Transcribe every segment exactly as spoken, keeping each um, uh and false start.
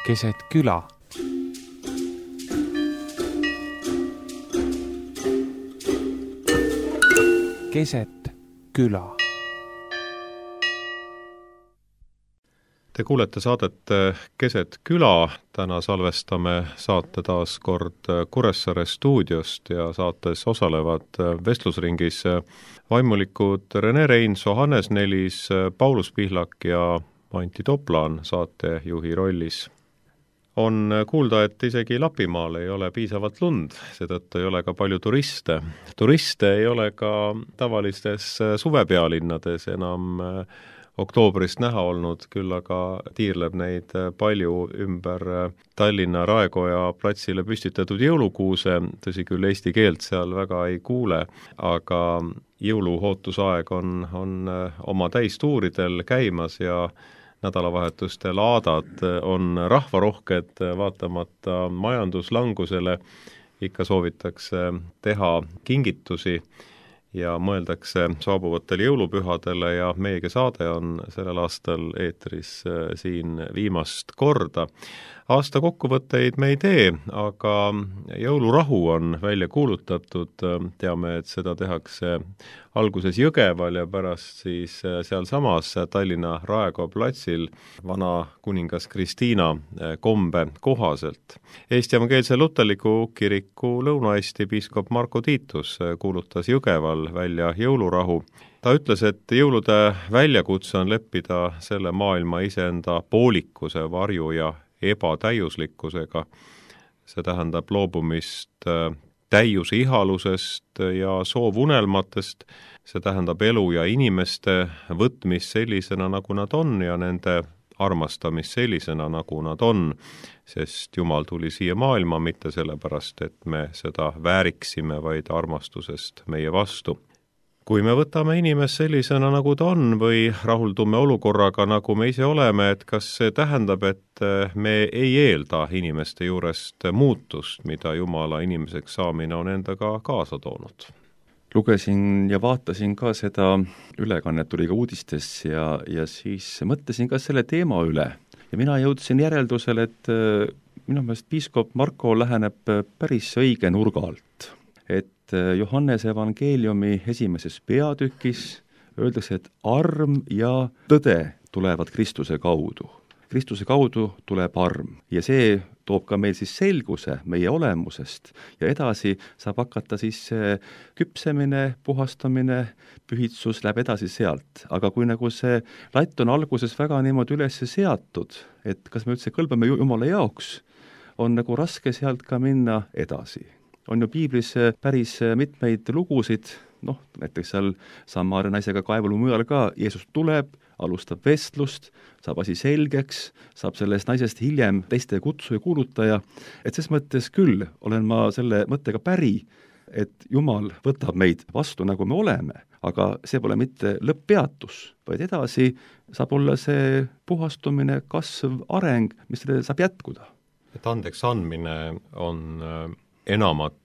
keset küla. Keset küla. Te kuulete saadet Keset küla. Täna salvestame saate taas kord Kuressaare stuudiost ja saates osalevad vestlusringis vaimulikud Rene Reinso, Hannes Nelis, Paulus Pihlak ja Anti Toplaan saatejuhi rollis. On kuulda, et isegi Lapimaal ei ole piisavalt lund, seetõttu ei ole ka palju turiste. Turiste ei ole ka tavalistes suvepealinnades enam oktoobrist näha olnud, küll aga tiirleb neid palju ümber Tallinna Raekoja platsile püstitatud jõulukuuse, tõsi küll eesti keelt seal väga ei kuule, aga jõuluhootusaeg on, on oma täistuuridel käimas ja nädalavahetuste laadad on rahvarohked, vaatamata majanduslangusele ikka soovitakse teha kingitusi ja mõeldakse saabuvatele jõulupühadele ja meiegi saade on sellel aastal eetris siin viimast korda. Aasta kokkuvõtteid me ei tee, aga jõulurahu on välja kuulutatud, teame, et seda tehakse alguses Jõgeval ja pärast siis seal samas Tallinna Raekoja platsil vana kuningas Kristiina kombe kohaselt. Eesti Evangeelse Luterliku Kiriku Lõuna-Eesti piiskop Marko Tiitus kuulutas Jõgeval välja jõulurahu. Ta ütles, et jõulude väljakutse on leppida selle maailma iseenda poolikuse, varju ja ebatäiuslikkusega. See tähendab loobumist täiuse ihalusest ja soovunelmatest, see tähendab elu ja inimeste võtmist sellisena, nagu nad on ja nende armastamist sellisena, nagu nad on, sest Jumal tuli siia maailma mitte sellepärast, et me seda vääriksime, vaid armastusest meie vastu. Kui me võtame inimest sellisena, nagu ta on, või rahuldume olukorraga, nagu me ise oleme, et kas see tähendab, et me ei eelda inimeste juurest muutust, mida Jumala inimeseks saamine on endaga kaasa toonud? Lugesin ja vaatasin ka seda ülekannet, tuli ka uudistes ja, ja siis mõtlesin ka selle teema üle. Ja mina jõudsin järeldusele, et minu meelest piiskop Marko läheneb päris õige nurga alt. Et Johannese evangeeliumi esimeses peatükis öeldakse, et arm ja tõde tulevad Kristuse kaudu. Kristuse kaudu tuleb arm ja see toob ka meil siis selguse meie olemusest ja edasi saab hakata siis küpsemine, puhastamine, pühitsus läheb edasi sealt. Aga kui nagu see latt on alguses väga niimoodi üles seatud, et kas me üldse kõlbame Jumala jaoks, on nagu raske sealt ka minna edasi. On ju piiblis päris mitmeid lugusid, noh, näiteks seal Samaria naisega kaevul mujal ka, Jeesus tuleb, alustab vestlust, saab asi selgeks, saab sellest naisest hiljem teiste kutsu ja kuulutaja, et ses mõttes küll olen ma selle mõttega päri, et Jumal võtab meid vastu, nagu me oleme, aga see pole mitte lõpppeatus, vaid edasi saab olla see puhastumine, kasv, areng, mis saab jätkuda. Et andeks andmine on enamat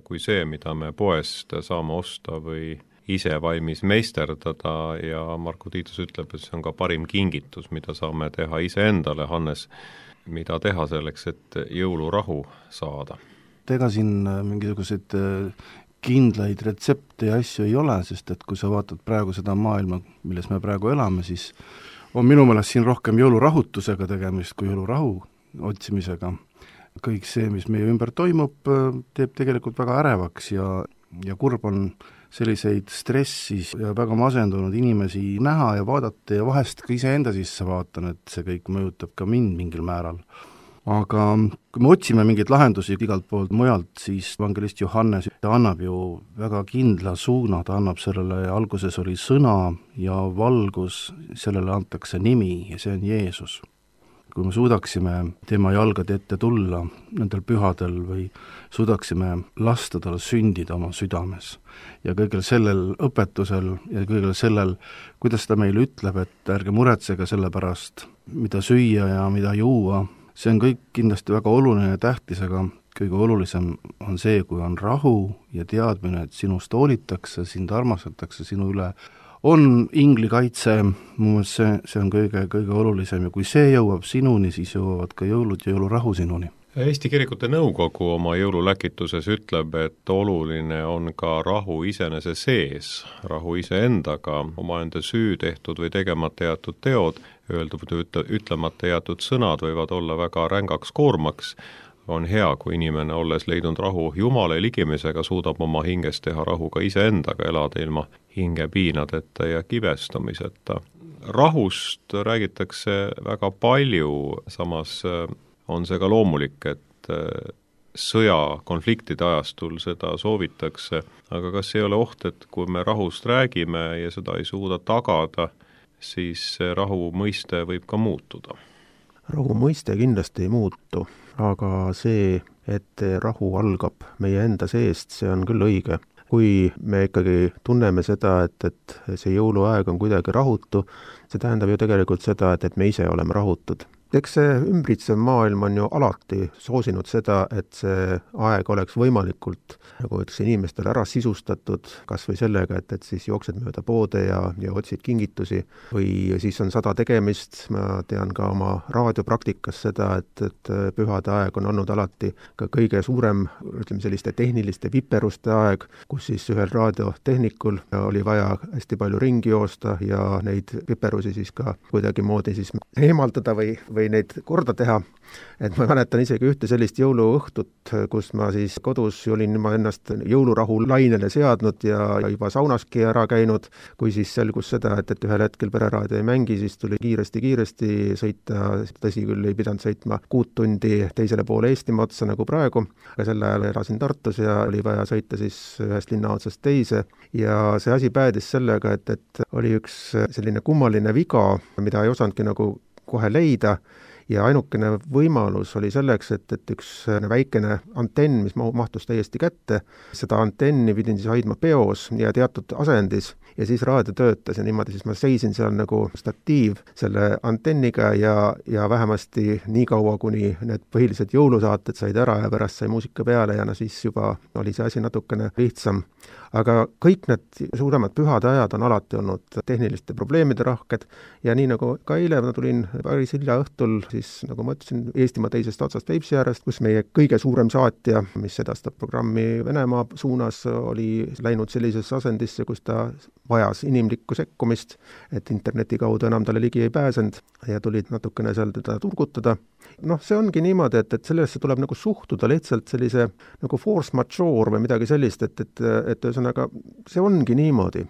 kui see, mida me poest saame osta või ise valmis meisterdada ja Marko Tiitus ütleb, et see on ka parim kingitus, mida saame teha iseendale. Hannes, mida teha selleks, et jõulurahu saada? Ega siin mingisuguseid kindlaid retsepte ja asju ei ole, sest et kui sa vaatad praegu seda maailma, milles me praegu elame, siis on minu meelest siin rohkem jõulurahutusega tegemist kui jõulurahu otsimisega. Kõik see, mis meie ümber toimub, teeb tegelikult väga ärevaks ja, ja kurb on selliseid stressis ja väga masendunud inimesi näha ja vaadata ja vahest ka iseenda sisse vaatan, et see kõik mõjutab ka mind mingil määral. Aga kui me otsime mingeid lahendusi igalt poolt mujalt, siis evangelist Johannes annab ju väga kindla suuna, ta annab sellele, alguses oli sõna ja valgus, sellele antakse nimi ja see on Jeesus. Kui me suudaksime tema jalgade ette tulla nendel pühadel või suudaksime lasta tal sündida oma südames ja kõigel sellel õpetusel ja kõigel sellel, kuidas ta meile ütleb, et ärge muretsege selle pärast, mida süüa ja mida juua, see on kõik kindlasti väga oluline ja tähtis, aga kõige olulisem on see, kui on rahu ja teadmine, et sinust hoolitakse, sind armastatakse, sinu üle on inglikaitse, mu meelest see, see on kõige, kõige olulisem ja kui see jõuab sinuni, siis jõuavad ka jõulud ja jõulurahu sinuni. Eesti Kirikute Nõukogu oma jõululäkituses ütleb, et oluline on ka rahu iseenese sees, rahu iseendaga, omaenda süü tehtud või tegemata jätud teod, öeldud või ütlemata jätud sõnad võivad olla väga rängaks koormaks. On hea, kui inimene, olles leidnud rahu Jumala ligimisega, suudab oma hinges teha rahu ka iseendaga, elada ilma hingepiinadeta ja kibestumiseta. Rahust räägitakse väga palju, samas on see ka loomulik, et sõja konfliktide ajastul seda soovitakse, aga kas ei ole oht, et kui me rahust räägime ja seda ei suuda tagada, siis rahu mõiste võib ka muutuda? Rahu mõiste kindlasti ei muutu, aga see, et rahu algab meie enda seest, see on küll õige. Kui me ikkagi tunneme seda, et, et see jõuluaeg on kuidagi rahutu, see tähendab ju tegelikult seda, et, et me ise oleme rahutud. Eks see ümbritsev maailm on ju alati soosinud seda, et see aeg oleks võimalikult, nagu ütles, inimestele ära sisustatud, kas või sellega, et, et siis jooksed mööda poode ja, ja otsid kingitusi või siis on sada tegemist. Ma tean ka oma raadiopraktikas seda, et, et pühade aeg on olnud alati ka kõige suurem, ütleme selliste tehniliste viperuste aeg, kus siis ühel raadiotehnikul oli vaja hästi palju ringi joosta ja neid viperusi siis ka kuidagi moodi siis eemaldada või, või neid korda teha. Et ma mäletan isegi ühte sellist jõuluõhtut, kus ma siis kodus olin ma ennast jõulurahu lainele seadnud ja juba saunaski ära käinud, kui siis selgus seda, et, et ühel hetkel pereraadio ei mängi, siis tuli kiiresti-kiiresti sõita, tõsi küll ei pidanud sõitma kuut tundi teisele poole Eestimaa otsa nagu praegu, aga sel ajal elasin Tartus ja oli vaja sõita siis ühest linna otsast teise ja see asi päädis sellega, et, et oli üks selline kummaline viga, mida ei osanudki nagu kohe leida ja ainukene võimalus oli selleks, et, et üks väikene antenn, mis mahtus täiesti kätte, seda antenni pidin siis hoidma peos ja teatud asendis ja siis raadio töötas ja niimoodi siis ma seisin seal nagu statiiv selle antenniga ja, ja vähemasti nii kaua, kuni need põhilised jõulusaated said ära ja pärast sai muusika peale ja no siis juba oli see asi natukene lihtsam. Aga kõik need suuremad pühade ajad on alati olnud tehniliste probleemide rahked ja nii nagu ka eile ma tulin päris hilja õhtul, siis nagu ma ütlesin, Eestimaa teisest otsast Peipsi äärest, kus meie kõige suurem saatja, mis edastab programmi Venemaa suunas, oli läinud sellisesse asendisse, kus ta vajas inimlikku sekkumist, et interneti kaudu enam talle ligi ei pääsenud ja tulid natukene seal teda turgutada. Noh, see ongi niimoodi, et, et sellesse tuleb nagu suhtuda lihtsalt sellise nagu force majeure või midagi sellist, et, et, et ühesõnaga see ongi niimoodi.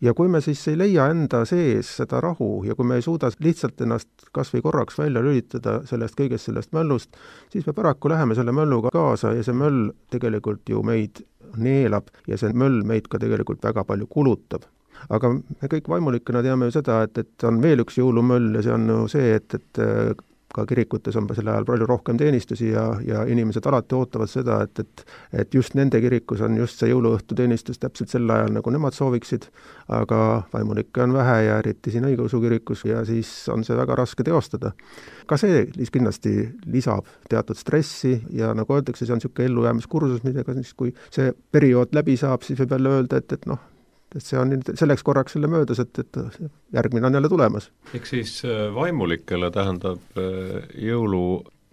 Ja kui me siis ei leia enda sees seda rahu ja kui me ei suuda lihtsalt ennast kas või korraks välja lülitada sellest kõigest sellest möllust, siis me paraku läheme selle mölluga kaasa ja see möll tegelikult ju meid neelab ja see möll meid ka tegelikult väga palju kulutab. Aga me kõik vaimulikena teame ju seda, et, et on veel üks jõulumöll ja see on ju see, et, et ka kirikutes on selle ajal palju rohkem teenistusi ja, ja inimesed alati ootavad seda, et, et, et just nende kirikus on just see jõuluõhtu teenistus täpselt sel ajal, nagu nemad sooviksid, aga vaimulikke on vähe ja eriti siin õigeusu kirikus ja siis on see väga raske teostada. Ka see kindlasti lisab teatud stressi ja nagu öeldakse, see on niisugune ellujäämiskursus, millega siis kui see periood läbi saab, siis võib jälle öelda, et, et noh, et see on selleks korraks selle möödas, et, et järgmine on jälle tulemas. Eks siis vaimulikele tähendab jõulu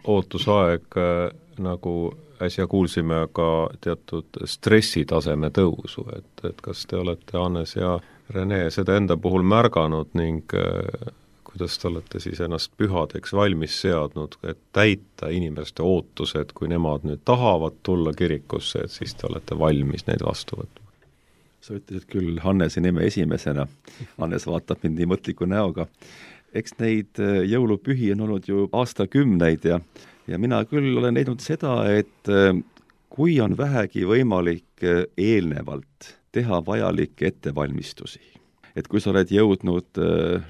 ootusaeg, nagu äsja kuulsime, ka teatud stressitaseme tõusu, et, et kas te olete, Hannes ja Rene, seda enda puhul märganud ning kuidas te olete siis ennast pühadeks valmis seadnud, et täita inimeste ootused, kui nemad nüüd tahavad tulla kirikusse, et siis te olete valmis neid vastu võtma? Sa ütlesid küll Hannese nime esimesena, Hannes vaatab mind nii mõtliku näoga. Eks neid jõulupühi on olnud ju aastakümneid ja, ja mina küll olen leidnud seda, et kui on vähegi võimalik eelnevalt teha vajalikke ettevalmistusi, et kui sa oled jõudnud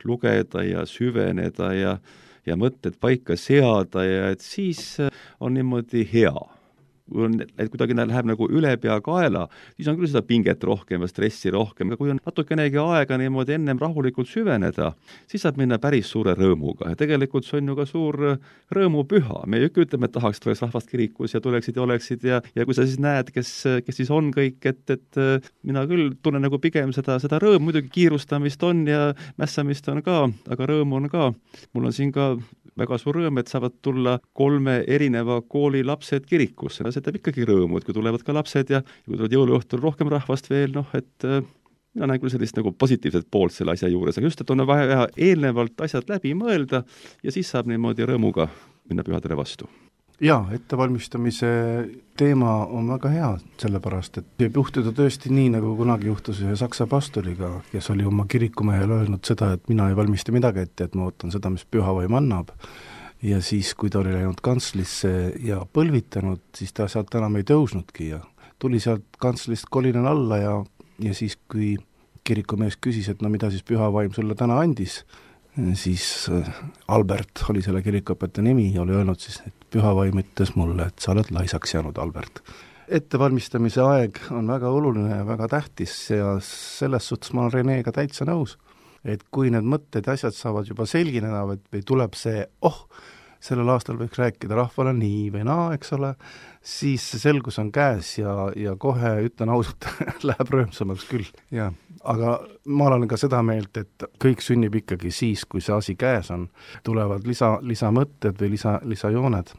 lugeda ja süveneda ja, ja mõtted paika seada ja et siis on niimoodi hea. kui on, et kuidagi läheb nagu üle pea kaela, siis on küll seda pinget rohkem ja stressi rohkem, aga kui on natukenegi aega niimoodi ennem rahulikult süveneda, siis saab minna päris suure rõõmuga ja tegelikult see on ju ka suur rõõmupüha. Me ju ikka ütleme, et tahaks, tuleks rahvast kirikus ja tuleksid ja oleksid ja, ja kui sa siis näed, kes, kes siis on kõik, et, et mina küll tunnen nagu pigem seda, seda rõõmu, muidugi kiirustamist on ja mässamist on ka, aga rõõmu on ka. Mul on siin ka väga suur rõõm, et saavad tulla kolme erineva kooli lapsed kirikusse. See teeb ikkagi rõõmu, et kui tulevad ka lapsed ja kui tulevad jõuluõhtul rohkem rahvast veel, noh, et äh, mina näen küll sellist nagu positiivset poolt selle asja juures, aga just, et on vaja eelnevalt asjad läbi mõelda ja siis saab niimoodi rõõmuga minna pühadele vastu. Jaa, ettevalmistamise teema on väga hea, sellepärast, et võib juhtuda tõesti nii, nagu kunagi juhtus ühe saksa pastoriga, kes oli oma kirikumehele öelnud seda, et mina ei valmista midagi ette, et ma ootan seda, mis pühavaim annab. Ja siis, kui ta oli läinud kantslisse ja põlvitanud, siis ta sealt enam ei tõusnudki ja tuli sealt kantslist kolinen alla ja, ja siis, kui kirikumees küsis, et no mida siis pühavaim sulle täna andis, siis Albert oli selle kirikuõpetaja nimi ja oli öelnud siis, et pühavaim ütles mulle, et sa oled laisaks jäänud, Albert. Ettevalmistamise aeg on väga oluline ja väga tähtis ja selles suhtes ma olen Renega täitsa nõus, et kui need mõtted ja asjad saavad juba selgineda või, või tuleb see, oh, sellel aastal võiks rääkida rahvale nii või naa, eks ole, siis see selgus on käes ja, ja kohe ütlen ausalt, läheb rõõmsamaks küll, jah. Aga ma olen ka seda meelt, et kõik sünnib ikkagi siis, kui see asi käes on, tulevad lisa, lisamõtted või lisa, lisajooned.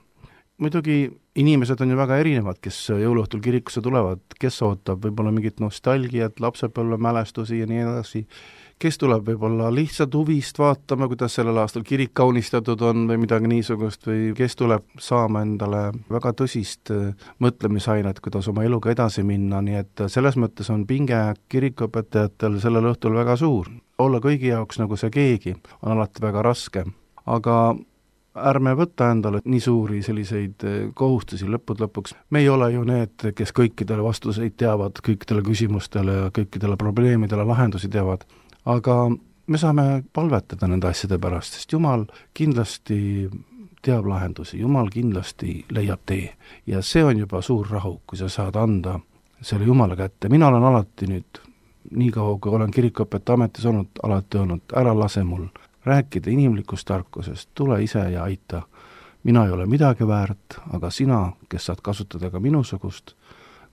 Muidugi inimesed on ju väga erinevad, kes jõuluõhtul kirikusse tulevad, kes ootab võib-olla mingit nostalgiat, lapsepõlve mälestusi ja nii edasi, kes tuleb võib-olla lihtsalt huvist vaatama, kuidas sellel aastal kirik kaunistatud on või midagi niisugust või kes tuleb saama endale väga tõsist mõtlemisainet, kuidas oma eluga edasi minna, nii et selles mõttes on pinge kirikuõpetajatel sellel õhtul väga suur. Olla kõigi jaoks nagu see keegi on alati väga raske, aga ärme võtta endale nii suuri selliseid kohustusi lõpud lõpuks. Me ei ole ju need, kes kõikidele vastuseid teavad, kõikidele küsimustele ja kõikidele probleemidele lahendusi teavad. Aga me saame palvetada nende asjade pärast, sest Jumal kindlasti teab lahendusi, Jumal kindlasti leiab tee. Ja see on juba suur rahu, kui sa saad anda selle Jumala kätte. Mina olen alati nüüd, nii kaua kui olen kirikuõpetaja ametis olnud, alati öelnud, ära lase mul rääkida inimlikust tarkusest, tule ise ja aita. Mina ei ole midagi väärt, aga sina, kes saad kasutada ka minusugust,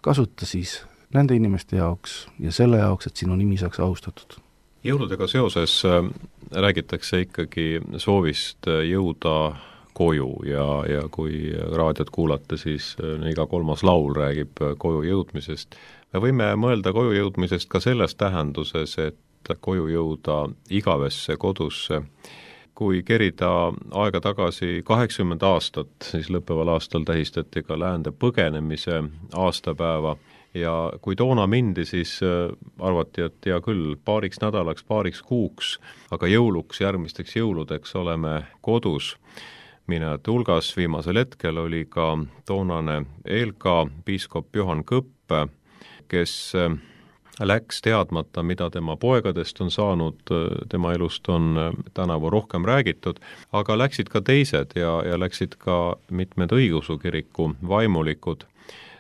kasuta siis nende inimeste jaoks ja selle jaoks, et sinu nimi saaks austatud. Jõuludega seoses räägitakse ikkagi soovist jõuda koju ja, ja kui raadiot kuulate, siis iga kolmas laul räägib koju jõudmisest. Me võime mõelda koju jõudmisest ka selles tähenduses, et koju jõuda igavesse kodusse. Kui kerida aega tagasi kaheksakümmend aastat, siis lõppeval aastal tähistati ka läände põgenemise aastapäeva ja kui toona mindi, siis arvati, et hea küll, paariks nädalaks, paariks kuuks, aga jõuluks, järgmisteks jõuludeks oleme kodus. Minejate hulgas viimasel hetkel oli ka toonane Eelka piiskop Johan Kõpp, kes läks teadmata, mida tema poegadest on saanud, tema elust on tänavu rohkem räägitud, aga läksid ka teised ja, ja läksid ka mitmed õigeusu kiriku vaimulikud.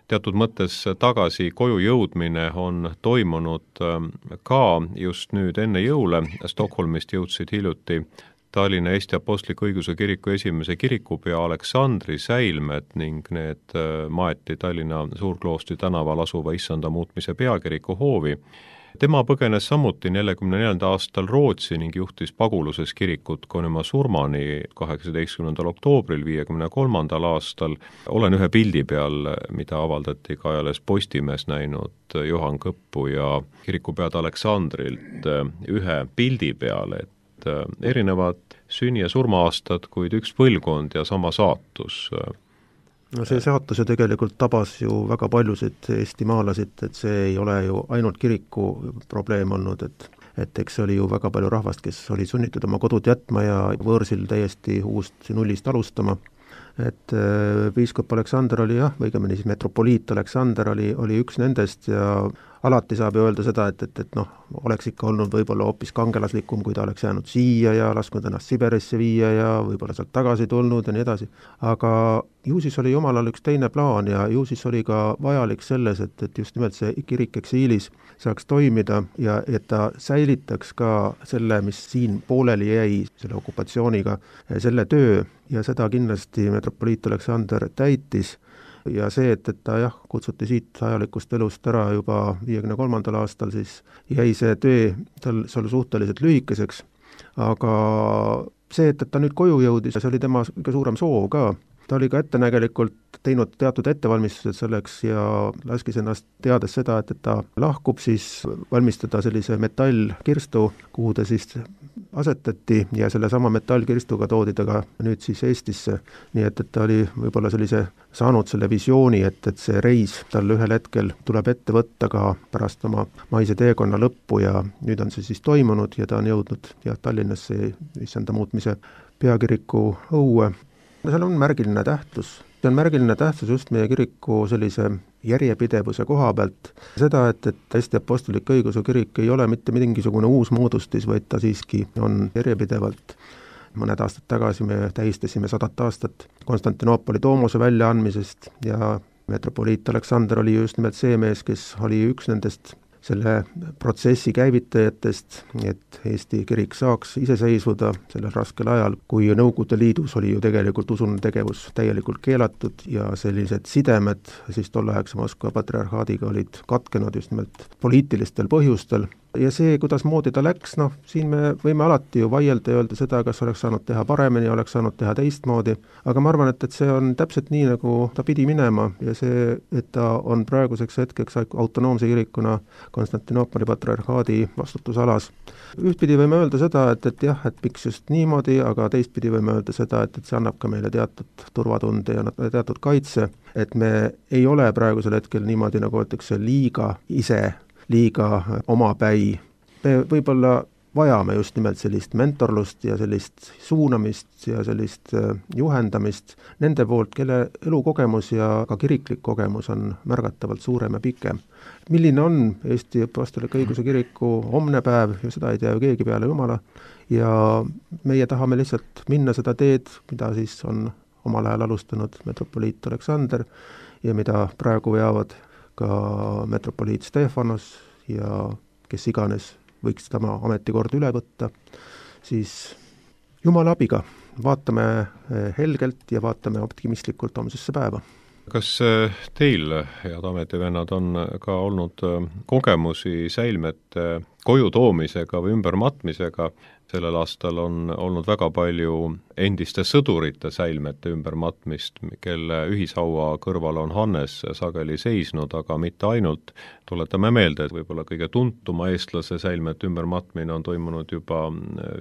Teatud mõttes tagasi koju jõudmine on toimunud ka just nüüd enne jõule. Stockholmist jõudsid hiljuti Tallinna Eesti Apostliku Õigeusu Kiriku esimese kirikupea Aleksandri säilmed ning need maeti Tallinna Suurkloostri tänaval asuva issanda muutmise peakiriku hoovi. Tema põgenes samuti neljakümne neljandal aastal Rootsi ning juhtis paguluses kirikut kuni oma surmani kaheksateistkümnendal oktoobril viiekümne kolmandal aastal. Olen ühe pildi peal, mida avaldati ka ajalehes Postimees näinud Johan Kõppu ja kirikupead Aleksandrilt ühe pildi peal, et erinevad sünni- ja surma-aastad, kuid üks põlvkond ja sama saatus. No see saatus ju tegelikult tabas ju väga paljusid eestimaalasid, et see ei ole ju ainult kiriku probleem olnud, et et eks oli ju väga palju rahvast, kes oli sunnitud oma kodud jätma ja võõrsil täiesti uust nullist alustama. et piiskop Aleksander oli jah, õigemini siis metropoliit Aleksander oli, oli üks nendest ja alati saab ju öelda seda, et, et, et noh, oleks ikka olnud võib-olla hoopis kangelaslikum, kui ta oleks jäänud siia ja lasknud ennast Siberisse viia ja võib-olla sealt tagasi tulnud ja nii edasi. Aga ju siis oli jumalal üks teine plaan ja ju siis oli ka vajalik selles, et, et just nimelt see kirik eksiilis saaks toimida ja et ta säilitaks ka selle, mis siin pooleli jäi, selle okupatsiooniga, selle töö ja seda kindlasti metropoliit Aleksander täitis. Ja see, et, et ta jah, kutsuti siit ajalikust elust ära juba viiekümne kolmandal aastal, siis jäi see töö tal seal suhteliselt lühikeseks, aga see, et, et ta nüüd koju jõudis, see oli tema kõige suurem soov ka. Ta oli ka ettenägelikult teinud teatud ettevalmistused selleks ja laskis ennast teades seda, et, et ta lahkub, siis valmistada sellise metallkirstu, kuhu ta siis asetati ja selle sama metallkirstuga toodi ta ka nüüd siis Eestisse. Nii et, et ta oli võib-olla sellise saanud selle visiooni, et, et see reis tal ühel hetkel tuleb ette võtta ka pärast oma maise teekonna lõppu ja nüüd on see siis toimunud ja ta on jõudnud jah, Tallinnasse issanda muutmise peakiriku õue. Seal on märgiline tähtsus. See on märgiline tähtsus just meie kiriku sellise järjepidevuse koha pealt. Seda, et, et Eesti Apostlik Õigeusu Kirik ei ole mitte mingisugune uus moodustis, vaid ta siiski on järjepidevalt. Mõned aastad tagasi me tähistasime sadat aastat Konstantinoopoli Doomose väljaandmisest ja metropoliit Aleksander oli just nimelt see mees, kes oli üks nendest selle protsessi käivitajatest, et Eesti kirik saaks iseseisvuda sellel raskel ajal, kui Nõukogude Liidus oli ju tegelikult usuline tegevus täielikult keelatud ja sellised sidemed siis tolleaegse Moskva patriarhaadiga olid katkenud just nimelt poliitilistel põhjustel. Ja see, kuidas moodi ta läks, noh, siin me võime alati ju vaielda ja öelda seda, kas oleks saanud teha paremini, oleks saanud teha teistmoodi, aga ma arvan, et, et see on täpselt nii, nagu ta pidi minema ja see, et ta on praeguseks hetkeks autonoomse kirikuna Konstantinoopoli patriarhaadi vastutusalas. Ühtpidi võime öelda seda, et, et jah, et miks just niimoodi, aga teistpidi võime öelda seda, et, et see annab ka meile teatud turvatunde ja teatud kaitse, et me ei ole praegusel hetkel niimoodi, nagu öeldakse, liiga ise liiga omapäi. Me võib-olla vajame just nimelt sellist mentorlust ja sellist suunamist ja sellist juhendamist nende poolt, kelle elukogemus ja ka kiriklik kogemus on märgatavalt suurem ja pikem. Milline on Eesti Apostlik Õigeusu Kiriku homne päev, ja seda ei tea ju keegi peale Jumala, ja meie tahame lihtsalt minna seda teed, mida siis on omal ajal alustanud metropoliit Aleksander ja mida praegu veavad ka metropoliit Stefanos ja kes iganes võiks tema ametikord üle võtta, siis Jumala abiga vaatame helgelt ja vaatame optimistlikult homsesse päeva. Kas teil, head ametivennad, on ka olnud kogemusi säilmete koju toomisega või ümbermatmisega? Sellel aastal on olnud väga palju endiste sõdurite säilmete ümbermatmist, kelle ühishaua kõrval on Hannes sageli seisnud, aga mitte ainult. Tuletame meelde, et võib-olla kõige tuntuma eestlase säilmete ümbermatmine on toimunud juba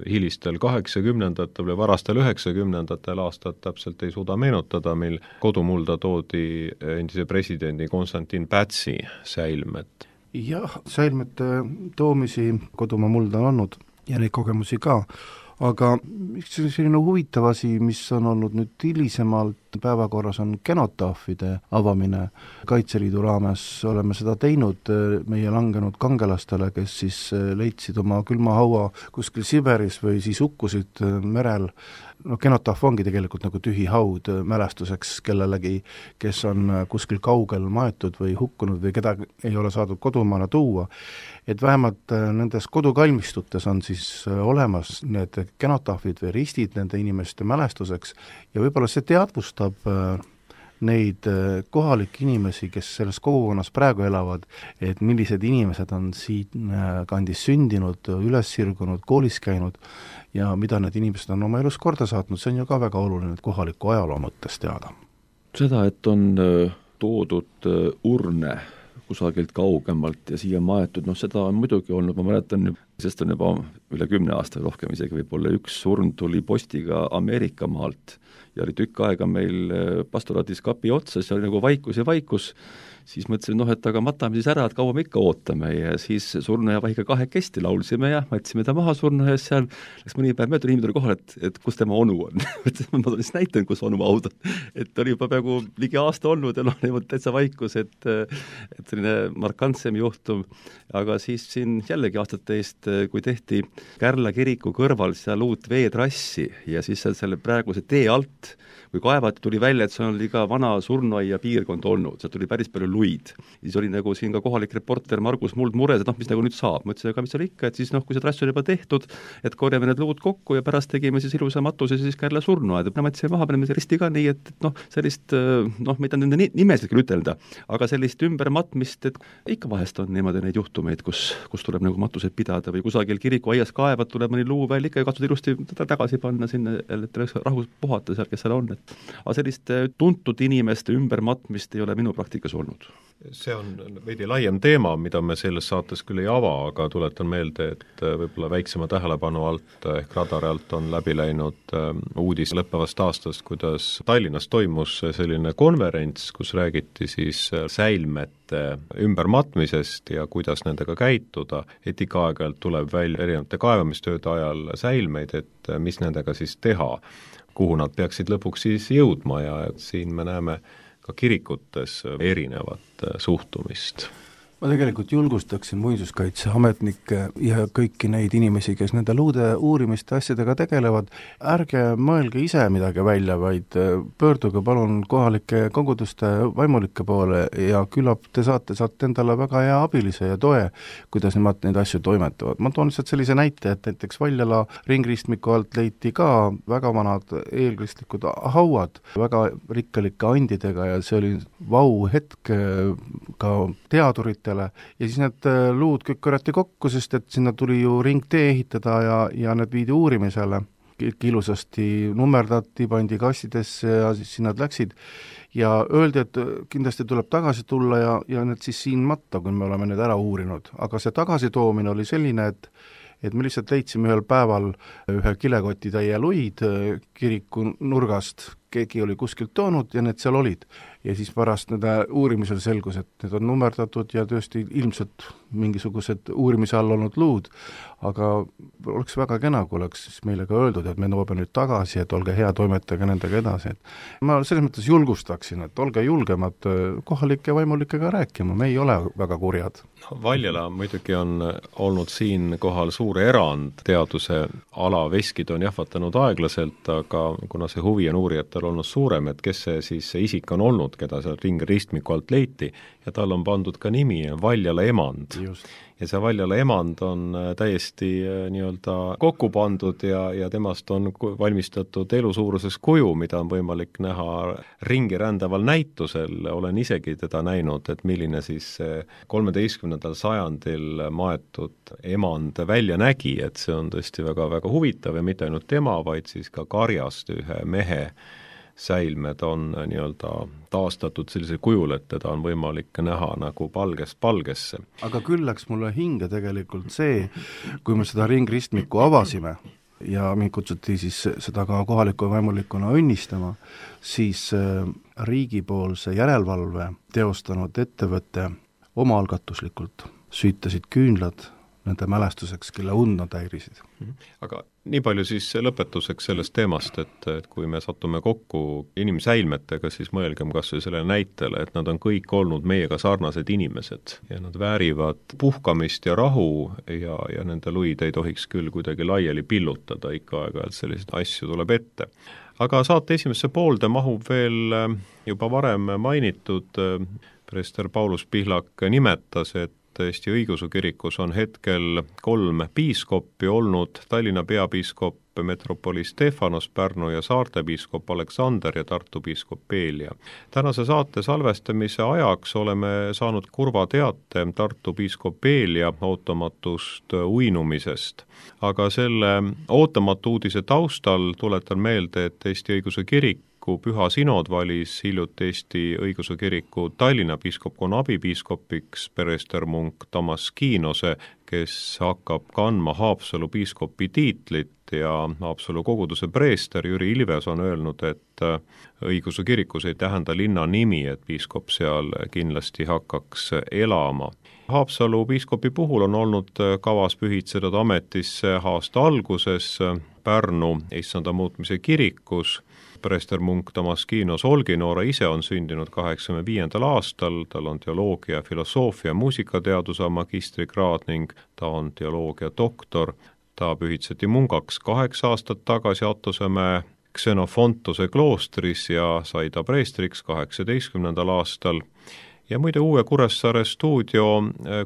hilistel kaheksakümnendatel või varastel üheksakümnendatel aastat, täpselt ei suuda meenutada, mil kodumulda toodi endise presidendi Konstantin Pätsi säilmet. Jah, säilmete toomisi kodumaa mulda on olnud ja neid kogemusi ka, aga üks selline huvitav asi, mis on olnud nüüd hilisemalt päevakorras, on genotaafide avamine. Kaitseliidu raames oleme seda teinud meie langenud kangelastele, kes siis leidsid oma külmahaua kuskil Siberis või siis hukkusid merel. No genotaaf ongi tegelikult nagu tühi haud mälestuseks kellelegi, kes on kuskil kaugel maetud või hukkunud või keda ei ole saadud kodumaale tuua. Et vähemalt nendes kodukalmistutes on siis olemas need genotaafid või ristid nende inimeste mälestuseks ja võib-olla see teadvustab neid kohalikke inimesi, kes selles kogukonnas praegu elavad, et millised inimesed on siin kandis sündinud, üles sirgunud, koolis käinud ja mida need inimesed on oma elus korda saatnud, see on ju ka väga oluline kohaliku ajaloo mõttes teada. Seda, et on toodud urne kusagilt kaugemalt ja siia maetud, noh seda on muidugi olnud, ma mäletan, sest on juba üle kümne aasta rohkem isegi võib-olla üks surn tuli postiga Ameerika maalt ja oli tükk aega meil pastoraadis kapi otsas ja oli nagu vaikus ja vaikus siis mõtlesin, noh, et aga matame siis ära, et kaua me ikka ootame ja siis surnuaia vahiga kahekesti laulsime ja võtsime ta maha surnuaias seal, läks mõni päev mööda, inimene tuli kohale, et, et kus tema onu on. ma olen siis näitanud, kus onu aud on. Et oli juba peaaegu ligi aasta olnud ja noh, niimoodi täitsa vaikus, et, et selline markantsem juhtum. Aga siis siin jällegi aastate eest, kui tehti Kärla kiriku kõrval seal uut veetrassi ja siis seal selle praeguse tee alt, kui kaevati, tuli välja, et see oli ka vana surnuaia piirkond olnud, seal tuli päris palju luid. Siis oli nagu siin ka kohalik reporter Margus Muld mures, et noh, mis nagu nüüd saab. Mõtlesin, aga mis seal ikka, et siis noh, kui see trass oli juba tehtud, et korjame need luud kokku ja pärast tegime siis ilusa matuse siis Kärla surnuaed. Ma mõtlesin maha, paneme risti ka nii, et, et noh, sellist, noh, mida nende nimesid küll ütelda, aga sellist ümbermatmist, et ikka vahest on niimoodi neid juhtumeid, kus, kus tuleb nagu matuseid pidada või kusagil kiriku aias kaevad, tuleb mõni luu välja ikka ja katsud ilusti tagasi panna sinna, et rahus puhata seal, kes seal on. Et aga sellist tuntud inimeste ümbermatmist ei ole minu praktikas olnud. See on veidi laiem teema, mida me selles saates küll ei ava, aga tuletan meelde, et võib-olla väiksema tähelepanu alt ehk radari alt on läbi läinud uudis lõppevast aastast, kuidas Tallinnas toimus selline konverents, kus räägiti siis säilmete ümbermatmisest ja kuidas nendega käituda, et ikka aeg-ajalt tuleb välja erinevate kaevamistööde ajal säilmeid, et mis nendega siis teha, kuhu nad peaksid lõpuks siis jõudma ja siin me näeme ka kirikutes erinevat suhtumist. Ma tegelikult julgustaksin muinsuskaitseametnikke ja kõiki neid inimesi, kes nende luude uurimiste asjadega tegelevad, ärge mõelge ise midagi välja, vaid pöörduge palun kohalike koguduste vaimulike poole ja küllap te saate, saate endale väga hea abilise ja toe, kuidas nemad neid asju toimetavad. Ma toon lihtsalt sellise näite, et näiteks Valjala ringristmiku alt leiti ka väga vanad eelkristlikud hauad, väga rikkalike andidega ja see oli vau hetk ka teadurit ja siis need luud kõik korjati kokku, sest et sinna tuli ju ringtee ehitada ja, ja need viidi uurimisele. Kõik ilusasti nummerdati, pandi kastidesse ja siis sinna läksid ja öeldi, et kindlasti tuleb tagasi tulla ja, ja need siis siin matta, kui me oleme need ära uurinud. Aga see tagasitoomine oli selline, et et me lihtsalt leidsime ühel päeval ühe kilekoti täie luid kiriku nurgast, keegi oli kuskilt toonud ja need seal olid. Ja siis pärast nende uurimisel selgus, et need on nummerdatud ja tõesti ilmselt mingisugused uurimise all olnud luud, aga oleks väga kena, kui oleks meile ka öeldud, et me toome nüüd tagasi, et olge hea, toimetage nendega edasi. Et ma selles mõttes julgustaksin, et olge julgemad kohalike vaimulikega rääkima, me ei ole väga kurjad. Valjala muidugi on olnud siin kohal suur erand, teaduse ala veskid on jahvatanud aeglaselt, aga kuna see huvi on uurijatel olnud suurem, et kes see siis see isik on olnud, keda seal ringristmiku alt leiti, ja tal on pandud ka nimi Valjala emand. Just. Ja see Valjala emand on täiesti nii-öelda kokku pandud ja, ja temast on valmistatud elusuuruses kuju, mida on võimalik näha ringi rändaval näitusel. Olen isegi teda näinud, et milline siis kolmeteistkümnendal sajandil maetud emand välja nägi, et see on tõesti väga-väga huvitav ja mitte ainult tema, vaid siis ka karjast ühe mehe säilmed on nii-öelda taastatud sellisel kujul, et teda on võimalik näha nagu palgest palgesse. Aga küll läks mulle hinge tegelikult see, kui me seda ringristmiku avasime ja mind kutsuti siis seda ka kohaliku vaimulikuna õnnistama, siis riigipoolse järelevalve teostanud ettevõtte omaalgatuslikult süütasid küünlad nende mälestuseks, kelle und nad häirisid. Aga nii palju siis lõpetuseks sellest teemast, et, et kui me satume kokku inimsäilmetega, siis mõelgem kas või selle näitele, et nad on kõik olnud meiega sarnased inimesed ja nad väärivad puhkamist ja rahu ja, ja nende luid ei tohiks küll kuidagi laiali pillutada, ikka aeg-ajalt selliseid asju tuleb ette. Aga saate esimesse poolde mahub veel juba varem mainitud, preester Paulus Pihlak nimetas, et Eesti Õigeusu kirikus on hetkel kolm piiskoppi olnud, Tallinna peapiiskop metropoli Stefanos, Pärnu ja Saarte piiskop Aleksander ja Tartu piiskop Peelia. Tänase saate salvestamise ajaks oleme saanud kurva teate Tartu piiskop Peelia ootamatust uinumisest. Aga selle ootamatu uudise taustal tuletan meelde, et Eesti Õigeusu kirik kiriku Püha Sinod valis hiljuti Eesti õigeusu kiriku Tallinna piiskopkonna abipiiskopiks preester munk Damaskiinose, kes hakkab kandma Haapsalu piiskopi tiitlit ja Haapsalu koguduse preester Jüri Ilves on öelnud, et õigeusu kirikus ei tähenda linna nimi, et piiskop seal kindlasti hakkaks elama. Haapsalu piiskopi puhul on olnud kavas pühitseda ametisse aasta alguses Pärnu issanda muutmise kirikus. Preester munk Damaskiinos Olginoora ise on sündinud kaheksakümne viiendal aastal, tal on teoloogia, filosoofia, muusikateaduse magistrikraad ning ta on teoloogia doktor. Ta pühitseti mungaks kaheksa aastat tagasi Attusemäe Xenofontuse kloostris ja sai ta preestriks kaheksateistkümnendal aastal. Ja muide uue Kuressaare stuudio,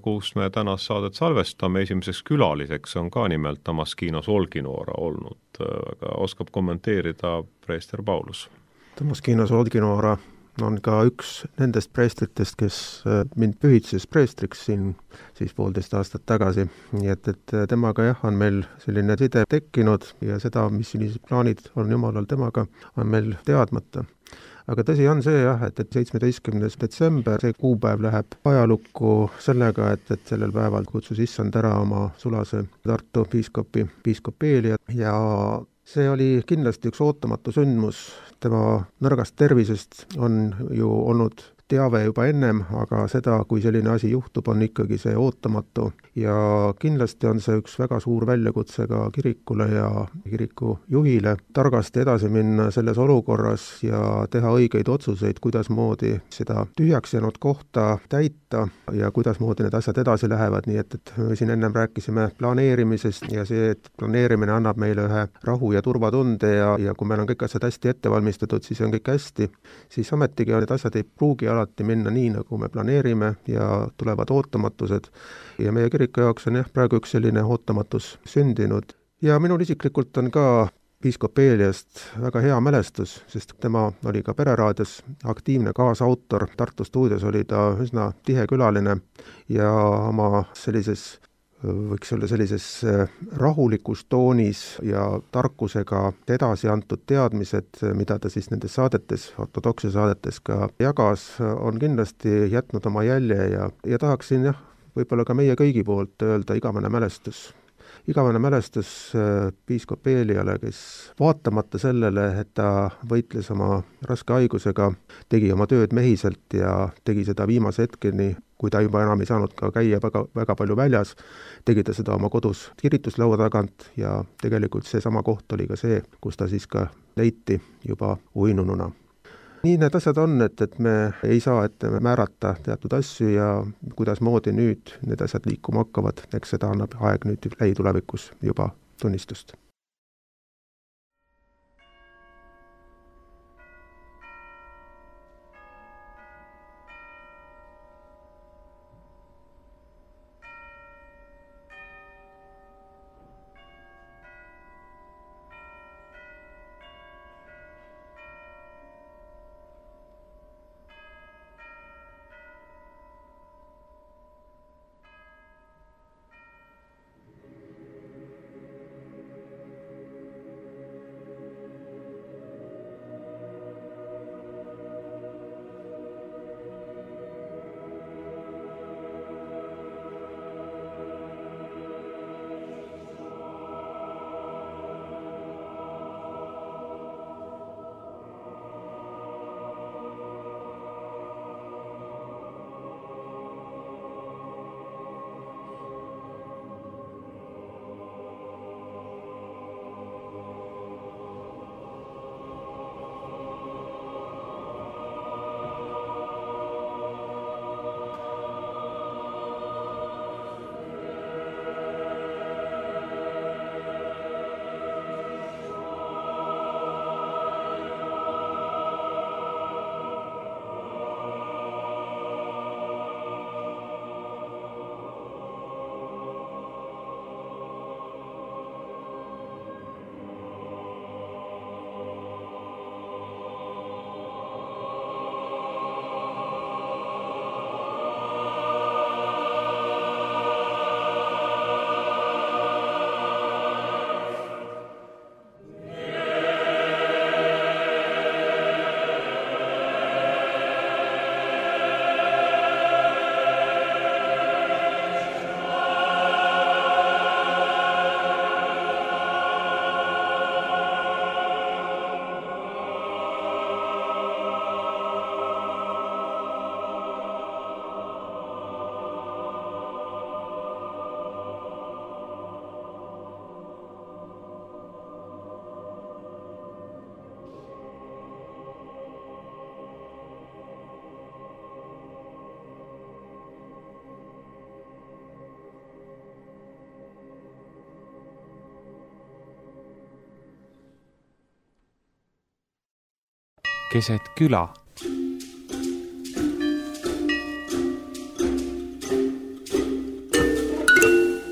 kus me tänast saadet salvestame, esimeseks külaliseks on ka nimelt Damaskiinos Olginoora olnud. Aga oskab kommenteerida preester Paulus. Damaskiinos Olginoora on ka üks nendest preestritest, kes mind pühitses preestriks siin siis poolteist aastat tagasi. Nii et, et temaga jah, on meil selline side tekkinud ja seda, mis sellised plaanid on jumalal temaga, on meil teadmata. Aga tõsi on see jah, et, et seitsmeteistkümnes detsember, see kuupäev läheb ajalukku sellega, et, et sellel päeval kutsus issand ära oma sulase Tartu piiskopi, piiskop Eelia ja see oli kindlasti üks ootamatu sündmus. Tema nõrgast tervisest on ju olnud teave juba ennem, aga seda, kui selline asi juhtub, on ikkagi see ootamatu ja kindlasti on see üks väga suur väljakutse ka kirikule ja kiriku juhile targasti edasi minna selles olukorras ja teha õigeid otsuseid, kuidas moodi seda tühjaks jäänud kohta täita ja kuidas moodi need asjad edasi lähevad, nii et, et me siin ennem rääkisime planeerimisest ja see, et planeerimine annab meile ühe rahu ja turvatunde ja, ja kui meil on kõik asjad hästi ette valmistatud, siis on kõik hästi, siis ometigi need asjad ei pruugi alati minna nii, nagu me planeerime ja tulevad ootamatused. Ja meie kiriku jaoks on jah, praegu üks selline ootamatus sündinud. Ja minul isiklikult on ka piiskop Eeliast väga hea mälestus, sest tema oli ka Pereraadios aktiivne kaasautor. Tartu stuudios oli ta üsna tihe külaline ja oma sellises võiks olla sellises rahulikus toonis ja tarkusega edasi antud teadmised, mida ta siis nendes saadetes, ortodoksia saadetes ka jagas, on kindlasti jätnud oma jälje ja, ja tahaksin jah, võib-olla ka meie kõigi poolt öelda igavene mälestus. Igavene mälestus piiskop Eeliale, kes vaatamata sellele, et ta võitles oma raske haigusega, tegi oma tööd mehiselt ja tegi seda viimase hetkeni, kui ta juba enam ei saanud ka käia väga, väga palju väljas, tegi ta seda oma kodus kirituslaua tagant ja tegelikult see sama koht oli ka see, kus ta siis ka leiti juba uinununa. Nii need asjad on, et, et me ei saa ette määrata teatud asju ja kuidas moodi nüüd need asjad liikuma hakkavad, eks seda annab aeg nüüd lähitulevikus juba tunnistust. keset küla.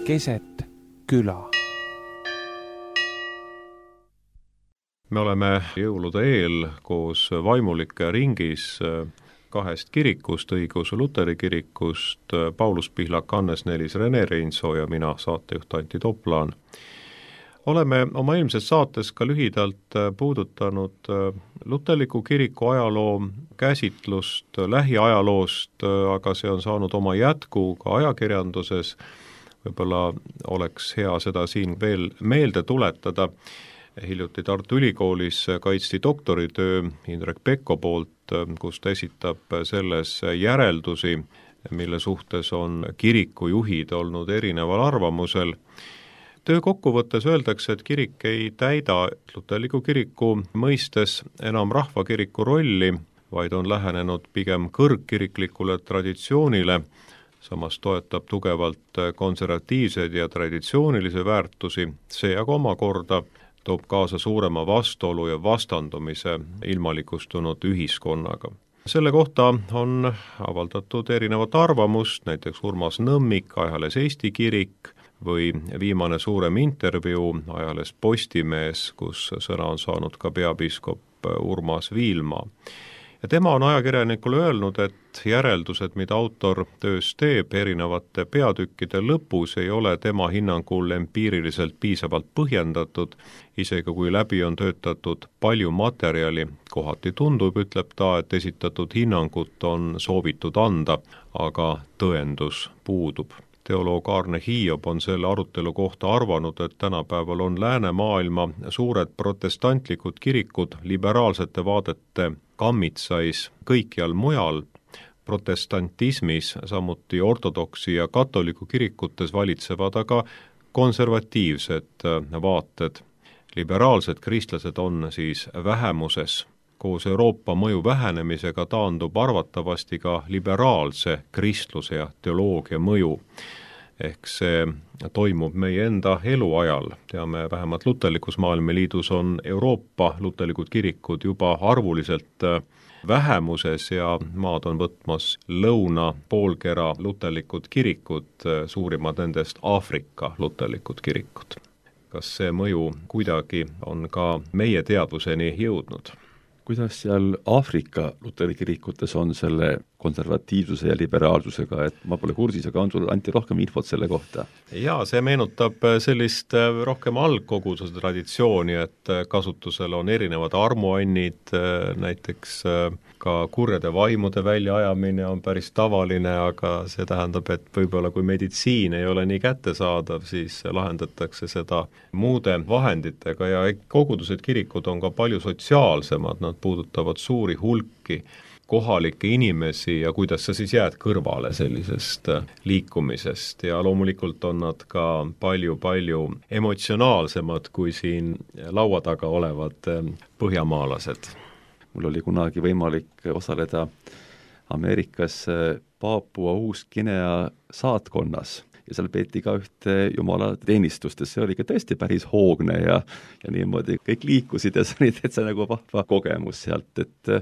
Keset küla. Me oleme jõulude eel koos vaimulike ringis kahest kirikust, õigeusu luteri kirikust, Paulus Pihlak, Hannes Nelis, Rene Reinso ja mina, saatejuht Antti Toplaan. Oleme oma eelmises saates ka lühidalt puudutanud luterliku kiriku ajaloo käsitlust lähiajaloost, aga see on saanud oma jätku ka ajakirjanduses. Võib-olla oleks hea seda siin veel meelde tuletada. Hiljuti Tartu Ülikoolis kaitsti doktoritöö Indrek Pekko poolt, kus ta esitab selles järeldusi, mille suhtes on kirikujuhid olnud erineval arvamusel. Töö kokkuvõttes öeldakse, et kirik ei täida luterliku kiriku mõistes enam rahvakiriku rolli, vaid on lähenenud pigem kõrgkiriklikule traditsioonile, samas toetab tugevalt konservatiivseid ja traditsioonilisi väärtusi, see aga omakorda toob kaasa suurema vastuolu ja vastandumise ilmalikustunud ühiskonnaga. Selle kohta on avaldatud erinevat arvamust, näiteks Urmas Nõmmik, ajalehes Eesti Kirik, või viimane suurem intervjuu ajalehes Postimees, kus sõna on saanud ka peapiiskop Urmas Viilma. Ja tema on ajakirjanikule öelnud, et järeldused, mida autor töös teeb erinevate peatükkide lõpus, ei ole tema hinnangul empiiriliselt piisavalt põhjendatud, isegi kui läbi on töötatud palju materjali. Kohati tundub, ütleb ta, et esitatud hinnangut on soovitud anda, aga tõendus puudub. Teoloog Arne Hiob on selle arutelu kohta arvanud, et tänapäeval on läänemaailma suured protestantlikud kirikud liberaalsete vaadete kammitsais kõikjal mujal, protestantismis, samuti ortodoksi ja katoliku kirikutes valitsevad aga konservatiivsed vaated. Liberaalsed kristlased on siis vähemuses. Koos Euroopa mõju vähenemisega taandub arvatavasti ka liberaalse kristluse ja teoloogia mõju. Ehk see toimub meie enda eluajal. Teame, vähemalt luterlikus maailmaliidus on Euroopa luterlikud kirikud juba arvuliselt vähemuses ja maad on võtmas lõuna poolkera luterlikud kirikud, suurimad nendest Aafrika luterlikud kirikud. Kas see mõju kuidagi on ka meie teadvuseni jõudnud? Kuidas seal Aafrika luteri kirikutes on selle konservatiivsuse ja liberaalsusega, et ma pole kursis, aga on sul anti rohkem infot selle kohta? Jaa, see meenutab sellist rohkem algkoguduse traditsiooni, et kasutusel on erinevad armuannid, näiteks ka kurjade vaimude väljaajamine on päris tavaline, aga see tähendab, et võib-olla kui meditsiin ei ole nii kättesaadav, siis lahendatakse seda muude vahenditega ja kogudused kirikud on ka palju sotsiaalsemad, nad puudutavad suuri hulki kohalikke inimesi ja kuidas sa siis jääd kõrvale sellisest liikumisest ja loomulikult on nad ka palju-palju emotsionaalsemad kui siin laua taga olevad põhjamaalased. Mul oli kunagi võimalik osaleda Ameerikas Paapua Uus-Guinea saatkonnas ja seal peeti ka ühte jumala teenistust ja see oli ka tõesti päris hoogne ja, ja niimoodi kõik liikusid ja see oli täitsa nagu vahva kogemus sealt, et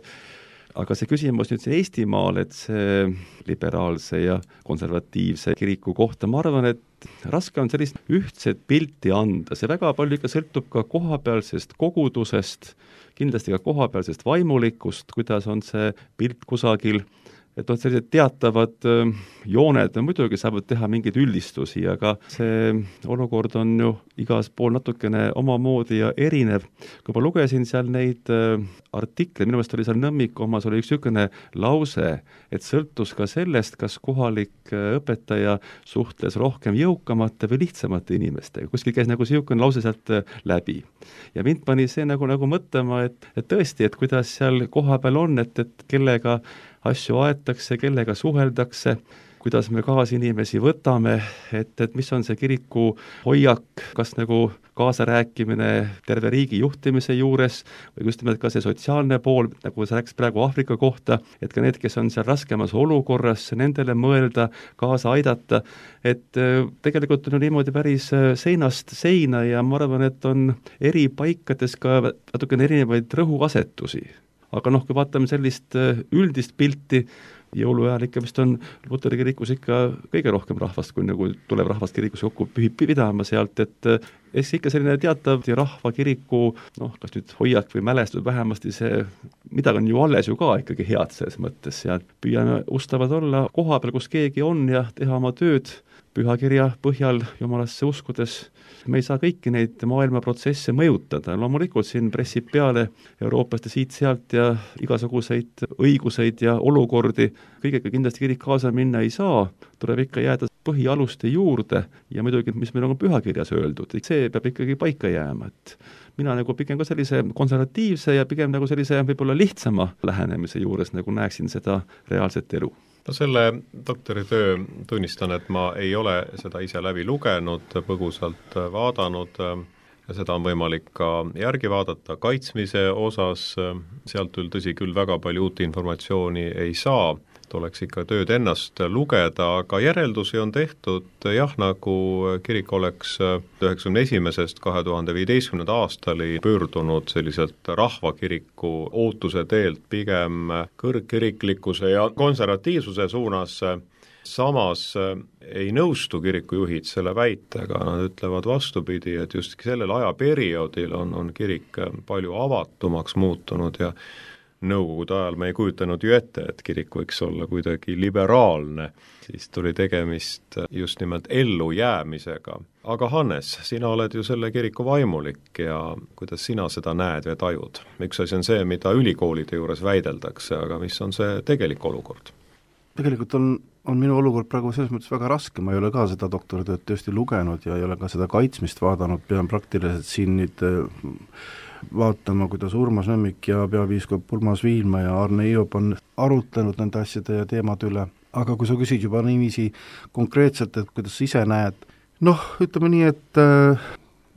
aga see küsimus nüüd see Eestimaal, et see liberaalse ja konservatiivse kiriku kohta, ma arvan, et raske on sellist ühtset pilti anda, see väga palju ikka sõltub ka kohapealsest kogudusest, kindlasti ka kohapealsest vaimulikust, kuidas on see pilt kusagil, et on sellised teatavad jooned, muidugi saavad teha mingeid üldistusi, aga see olukord on ju igas pool natukene omamoodi ja erinev. Kui ma lugesin seal neid artikleid, minu meelest oli seal Nõmmiku omas, oli üks niisugune lause, et sõltus ka sellest, kas kohalik õpetaja suhtles rohkem jõukamate või lihtsamate inimestega. Kuskil käis nagu niisugune lause sealt läbi. Ja mind pani see nagu, nagu mõtlema, et, et tõesti, et kuidas seal kohapeal on, et, et kellega asju aetakse, kellega suheldakse, kuidas me kaasinimesi võtame, et, et mis on see kiriku hoiak, kas nagu kaasarääkimine terve riigi juhtimise juures või just nimelt ka see sotsiaalne pool, nagu sa rääkis praegu Aafrika kohta, et ka need, kes on seal raskemas olukorras, nendele mõelda, kaasa aidata, et tegelikult on niimoodi päris seinast seina ja ma arvan, et on eri paikades ka natukene erinevaid rõhuasetusi. aga noh, kui vaatame sellist üldist pilti, jõuluajal ikka vist on Luteri kirikus ikka kõige rohkem rahvast, kui nagu tuleb rahvast kirikus kokku pidama sealt, et eks ikka selline teatav rahva kiriku, noh, kas nüüd hoiak või mälestus, vähemasti see, midagi on ju alles ju ka ikkagi head selles mõttes ja püüame ustavad olla koha peal, kus keegi on ja teha oma tööd pühakirja põhjal jumalasse uskudes. Me ei saa kõiki neid maailma protsesse mõjutada, loomulikult siin pressib peale Euroopast ja siit-sealt ja igasuguseid õiguseid ja olukordi, kõigega kindlasti kirik kaasa minna ei saa, tuleb ikka jääda põhialuste juurde ja muidugi, mis meil on pühakirjas öeldud, see peab ikkagi paika jääma, et mina nagu pigem ka sellise konservatiivse ja pigem nagu sellise võib-olla lihtsama lähenemise juures nagu näeksin seda reaalset elu. No selle doktoritöö tunnistan, et ma ei ole seda ise läbi lugenud, põgusalt vaadanud ja seda on võimalik ka järgi vaadata kaitsmise osas, sealt küll tõsi küll väga palju uut informatsiooni ei saa, tuleks ikka tööd ennast lugeda, aga järeldusi on tehtud jah, nagu kirik oleks üheksakümne esimesest kahe tuhande viieteistkümnenda aastali pöördunud selliselt rahvakiriku ootuse teelt pigem kõrgkiriklikkuse ja konservatiivsuse suunas. Samas ei nõustu kirikujuhid selle väitega, nad ütlevad vastupidi, et just sellel ajaperioodil on, on kirik palju avatumaks muutunud ja nõukogude ajal me ei kujutanud ju ette, et kirik võiks olla kuidagi liberaalne, siis tuli tegemist just nimelt ellujäämisega. Aga Hannes, sina oled ju selle kiriku vaimulik ja kuidas sina seda näed või tajud? Üks asi on see, mida ülikoolide juures väideldakse, aga mis on see tegelik olukord? Tegelikult on, on minu olukord praegu selles mõttes väga raske, ma ei ole ka seda doktoritööd tõesti lugenud ja ei ole ka seda kaitsmist vaadanud, pean praktiliselt siin nüüd vaatama, kuidas Urmas Nõmmik ja peapiiskop Urmas Viilma ja Arne Iop on arutlenud nende asjade ja teemade üle. Aga kui sa küsid juba niiviisi konkreetselt, et kuidas sa ise näed, noh, ütleme nii, et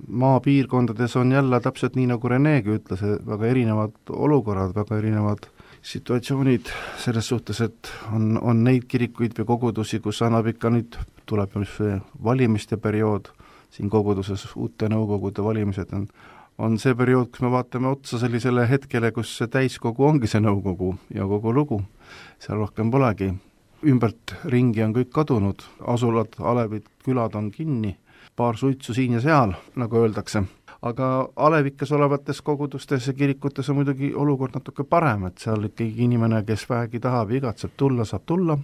maapiirkondades on jälle täpselt nii, nagu Renegi ütles, väga erinevad olukorrad, väga erinevad situatsioonid selles suhtes, et on, on neid kirikuid või kogudusi, kus annab ikka nüüd, tuleb valimiste periood, siin koguduses uute nõukogude valimised on on see periood, kus me vaatame otsa sellisele hetkele, kus see täiskogu ongi see nõukogu ja kogu lugu. Seal rohkem polegi. Ümbert ringi on kõik kadunud, asulad, alevid, külad on kinni, paar suitsu siin ja seal, nagu öeldakse. Aga alevikes olevates kogudustes ja kirikutes on muidugi olukord natuke parem, et seal ikkagi inimene, kes vähegi tahab ja igatseb tulla, saab tulla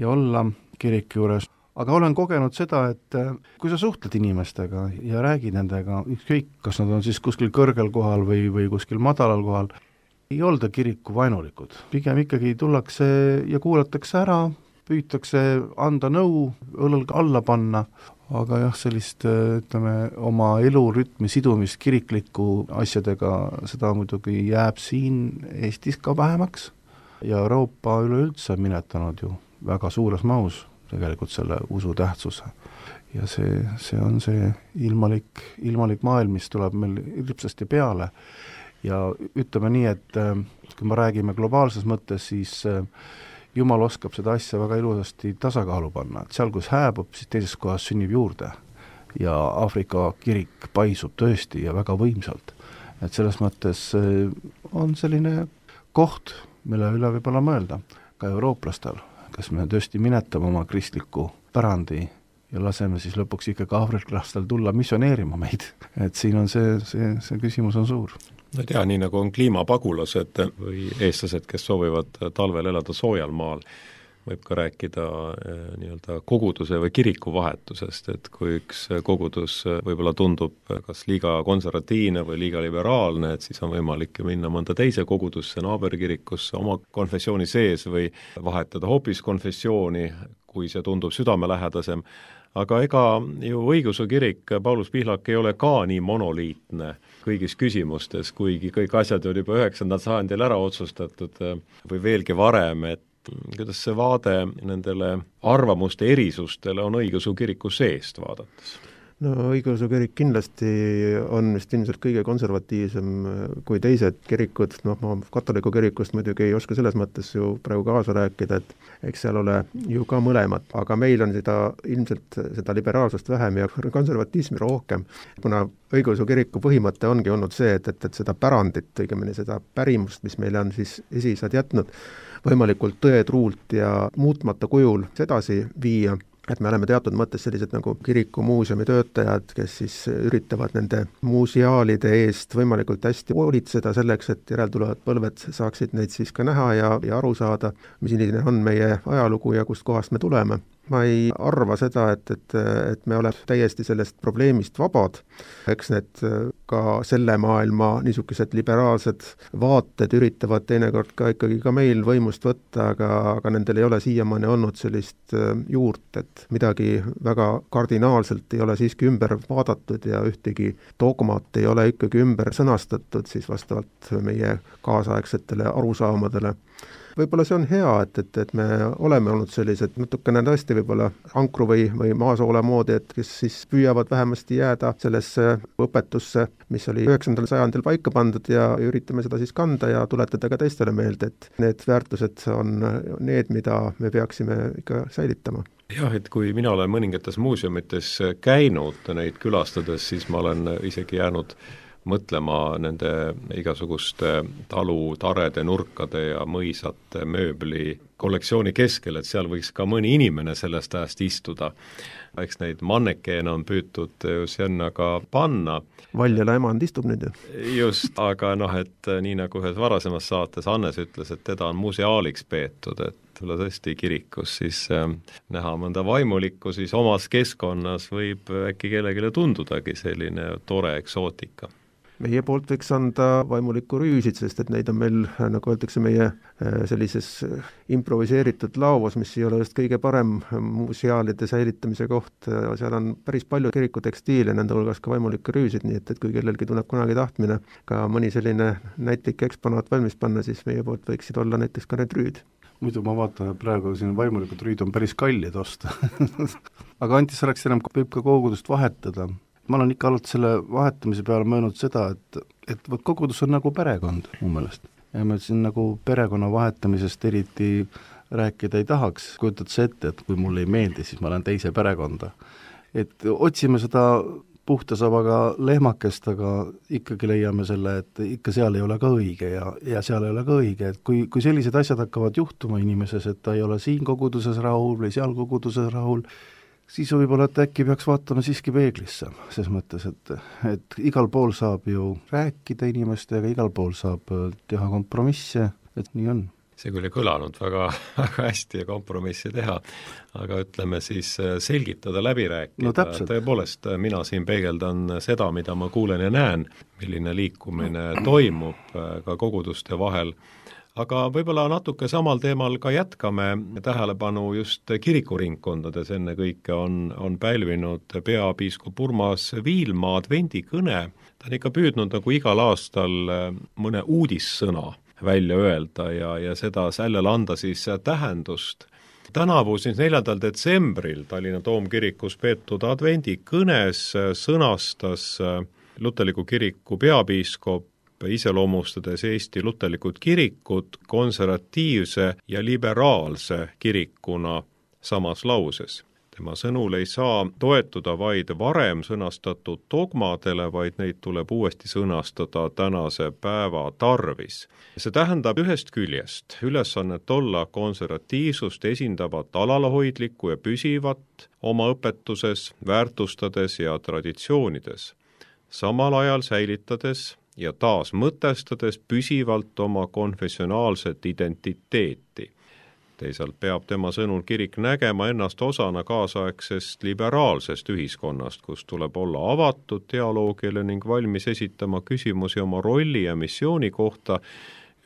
ja olla kiriku juures. Aga olen kogenud seda, et kui sa suhtled inimestega ja räägid nendega, ükskõik, kas nad on siis kuskil kõrgel kohal või, või kuskil madalal kohal, ei olda kiriku vainulikud. Pigem ikkagi tullakse ja kuulatakse ära, püütakse anda nõu, õlg alla panna, aga jah, sellist, ütleme, oma elurütmi sidumist kirikliku asjadega, seda muidugi jääb siin Eestis ka vähemaks. Ja Euroopa üleüldse minetanud ju väga suures mahus tegelikult selle usu tähtsuse. Ja see, see on see ilmalik, ilmalik maailm, mis tuleb meil hirmsasti peale. Ja ütleme nii, et kui me räägime globaalses mõttes, siis Jumal oskab seda asja väga ilusasti tasakaalu panna. Et seal, kus hääbub, siis teises kohas sünnib juurde. Ja Aafrika kirik paisub tõesti ja väga võimsalt. Et selles mõttes on selline koht, mille üle võib-olla mõelda ka eurooplastel, kas me tõesti minetame oma kristliku pärandi ja laseme siis lõpuks ikka ka aafriklastel tulla missioneerima meid. Et siin on see, see, see küsimus on suur. No tea, nii nagu on kliimapagulased või eestlased, kes soovivad talvel elada soojal maal, võib ka rääkida nii-öelda koguduse või kiriku vahetusest, et kui üks kogudus võib-olla tundub kas liiga konservatiivne või liiga liberaalne, et siis on võimalik minna mõnda teise kogudusse, naaberkirikusse, oma konfessiooni sees või vahetada hoopis konfessiooni, kui see tundub südamelähedasem. Aga ega ju õigeusu kirik Paulus Pihlak ei ole ka nii monoliitne kõigis küsimustes, kuigi kõik asjad on juba üheksandal sajandil ära otsustatud või veelgi varem, et kuidas see vaade nendele arvamuste erisustele on õigeusu kiriku seest vaadates? no õigeusu kirik kindlasti on vist ilmselt kõige konservatiivsem kui teised kirikud, noh ma katoliku kirikust muidugi ei oska selles mõttes ju praegu kaasa rääkida, et eks seal ole ju ka mõlemad, aga meil on seda ilmselt seda liberaalsust vähem ja konservatismi rohkem, kuna õigeusu kiriku põhimõte ongi olnud see, et, et, et seda pärandit, õigemini seda pärimust, mis meile on siis esiisad jätnud, võimalikult tõetruult ja muutmata kujul edasi viia, et me oleme teatud mõttes sellised nagu kiriku muuseumi töötajad, kes siis üritavad nende muuseaalide eest võimalikult hästi hoolitseda selleks, et järeltulevad põlved saaksid neid siis ka näha ja, ja aru saada, milline on meie ajalugu ja kust kohast me tuleme. Ma ei arva seda, et, et, et me oleme täiesti sellest probleemist vabad. Eks need ka selle maailma niisugused liberaalsed vaated üritavad teinekord ka ikkagi ka meil võimust võtta, aga, aga nendel ei ole siiamaani olnud sellist juurt, et midagi väga kardinaalselt ei ole siiski ümber vaadatud ja ühtegi dogmat ei ole ikkagi ümber sõnastatud siis vastavalt meie kaasaegsetele arusaamadele. Võib-olla see on hea, et, et, et me oleme olnud sellised natukene tõesti võib-olla ankru või, või maasoole moodi, et kes siis püüavad vähemasti jääda sellesse õpetusse, mis oli üheksandal sajandil paika pandud ja üritame seda siis kanda ja tuletada ka teistele meelde, et need väärtused on need, mida me peaksime ikka säilitama. Jah, et kui mina olen mõningates muuseumites käinud neid külastades, siis ma olen isegi jäänud mõtlema nende igasuguste talutarede, nurkade ja mõisate mööbli kollektsiooni keskel, et seal võiks ka mõni inimene sellest ajast istuda. Eks neid mannekeene on püütud ju sinna ka panna. Valjala emand istub nüüd ju. Just, aga noh, et nii nagu ühes varasemas saates Hannes ütles, et teda on museaaliks peetud, et tulla tõesti kirikus, siis äh, näha mõnda vaimulikku, siis omas keskkonnas võib äkki kellegile tundudagi selline tore eksootika. Meie poolt võiks anda vaimulikku rüüsid, sest et neid on meil, nagu öeldakse, meie sellises improviseeritud laovas, mis ei ole just kõige parem museaalide säilitamise koht, seal on päris palju kirikutekstiile, nende hulgas ka vaimulikke rüüsid, nii et, et kui kellelgi tuleb kunagi tahtmine ka mõni selline näitlik eksponaat valmis panna, siis meie poolt võiksid olla näiteks ka need rüüd. Muidu ma vaatan, et praegu siin vaimulikud rüüd on päris kallid osta. Aga Anti, sa oleks enam, võib ka kogudust vahetada. Ma olen ikka olnud selle vahetamise peale mõelnud seda, et, et võt kogudus on nagu perekond mu meelest. Ja ma siin nagu perekonna vahetamisest eriti rääkida ei tahaks. Kujutad see ette, et kui mulle ei meeldi, siis ma olen teise perekonda. Et otsime seda puhta sabaga lehmakest, aga ikkagi leiame selle, et ikka seal ei ole ka õige ja, ja seal ei ole ka õige. Et kui, kui sellised asjad hakkavad juhtuma inimeses, et ta ei ole siin koguduses rahul või seal koguduses rahul, siis võib-olla, et äkki peaks vaatama siiski peeglisse, ses mõttes, et, et igal pool saab ju rääkida inimestega, igal pool saab teha kompromisse, et nii on. See küll ei kõlanud väga, väga hästi ja kompromissi teha, aga ütleme siis selgitada, läbi rääkida. No tõepoolest, mina siin peegeldan seda, mida ma kuulen ja näen, milline liikumine toimub ka koguduste vahel. Aga võib-olla natuke samal teemal ka jätkame tähelepanu just kirikuringkondades, enne kõike on, on pälvinud peapiiskop Urmas Viilma advendikõne. Ta on ikka püüdnud nagu igal aastal mõne uudissõna välja öelda ja, ja seda sellele anda siis tähendust. Tänavu siis neljandal detsembril Tallinna Toomkirikus peetud advendikõnes sõnastas luterliku kiriku peapiiskop iseloomustades Eesti luterlikud kirikut konservatiivse ja liberaalse kirikuna samas lauses. Tema sõnul ei saa toetuda vaid varem sõnastatud dogmadele, vaid neid tuleb uuesti sõnastada tänase päeva tarvis. See tähendab ühest küljest ülesannet olla konservatiivsust esindavat alalhoidlikku ja püsivat oma õpetuses, väärtustades ja traditsioonides, samal ajal säilitades ja taas mõtestades püsivalt oma konfessionaalset identiteeti. Teisalt peab tema sõnul kirik nägema ennast osana kaasaegsest liberaalsest ühiskonnast, kus tuleb olla avatud dialoogile ning valmis esitama küsimusi oma rolli ja missiooni kohta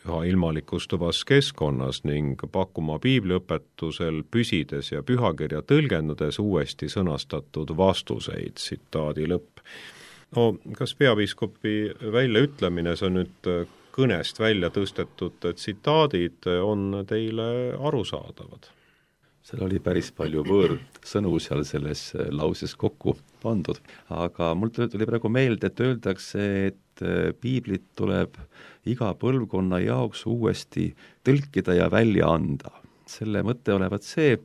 üha ilmalikustuvas keskkonnas ning pakkuma piibliõpetusel püsides ja pühakirja tõlgendades uuesti sõnastatud vastuseid, tsitaadi lõpp. No, kas peapiiskopi väljaütlemine, see on nüüd kõnest välja tõstetud tsitaadid, on teile arusaadavad? seal oli päris palju võõrsõnu seal selles lauses kokku pandud, aga mul tuli praegu meelde, et öeldakse, et piiblit tuleb iga põlvkonna jaoks uuesti tõlkida ja välja anda. Selle mõte olevat see,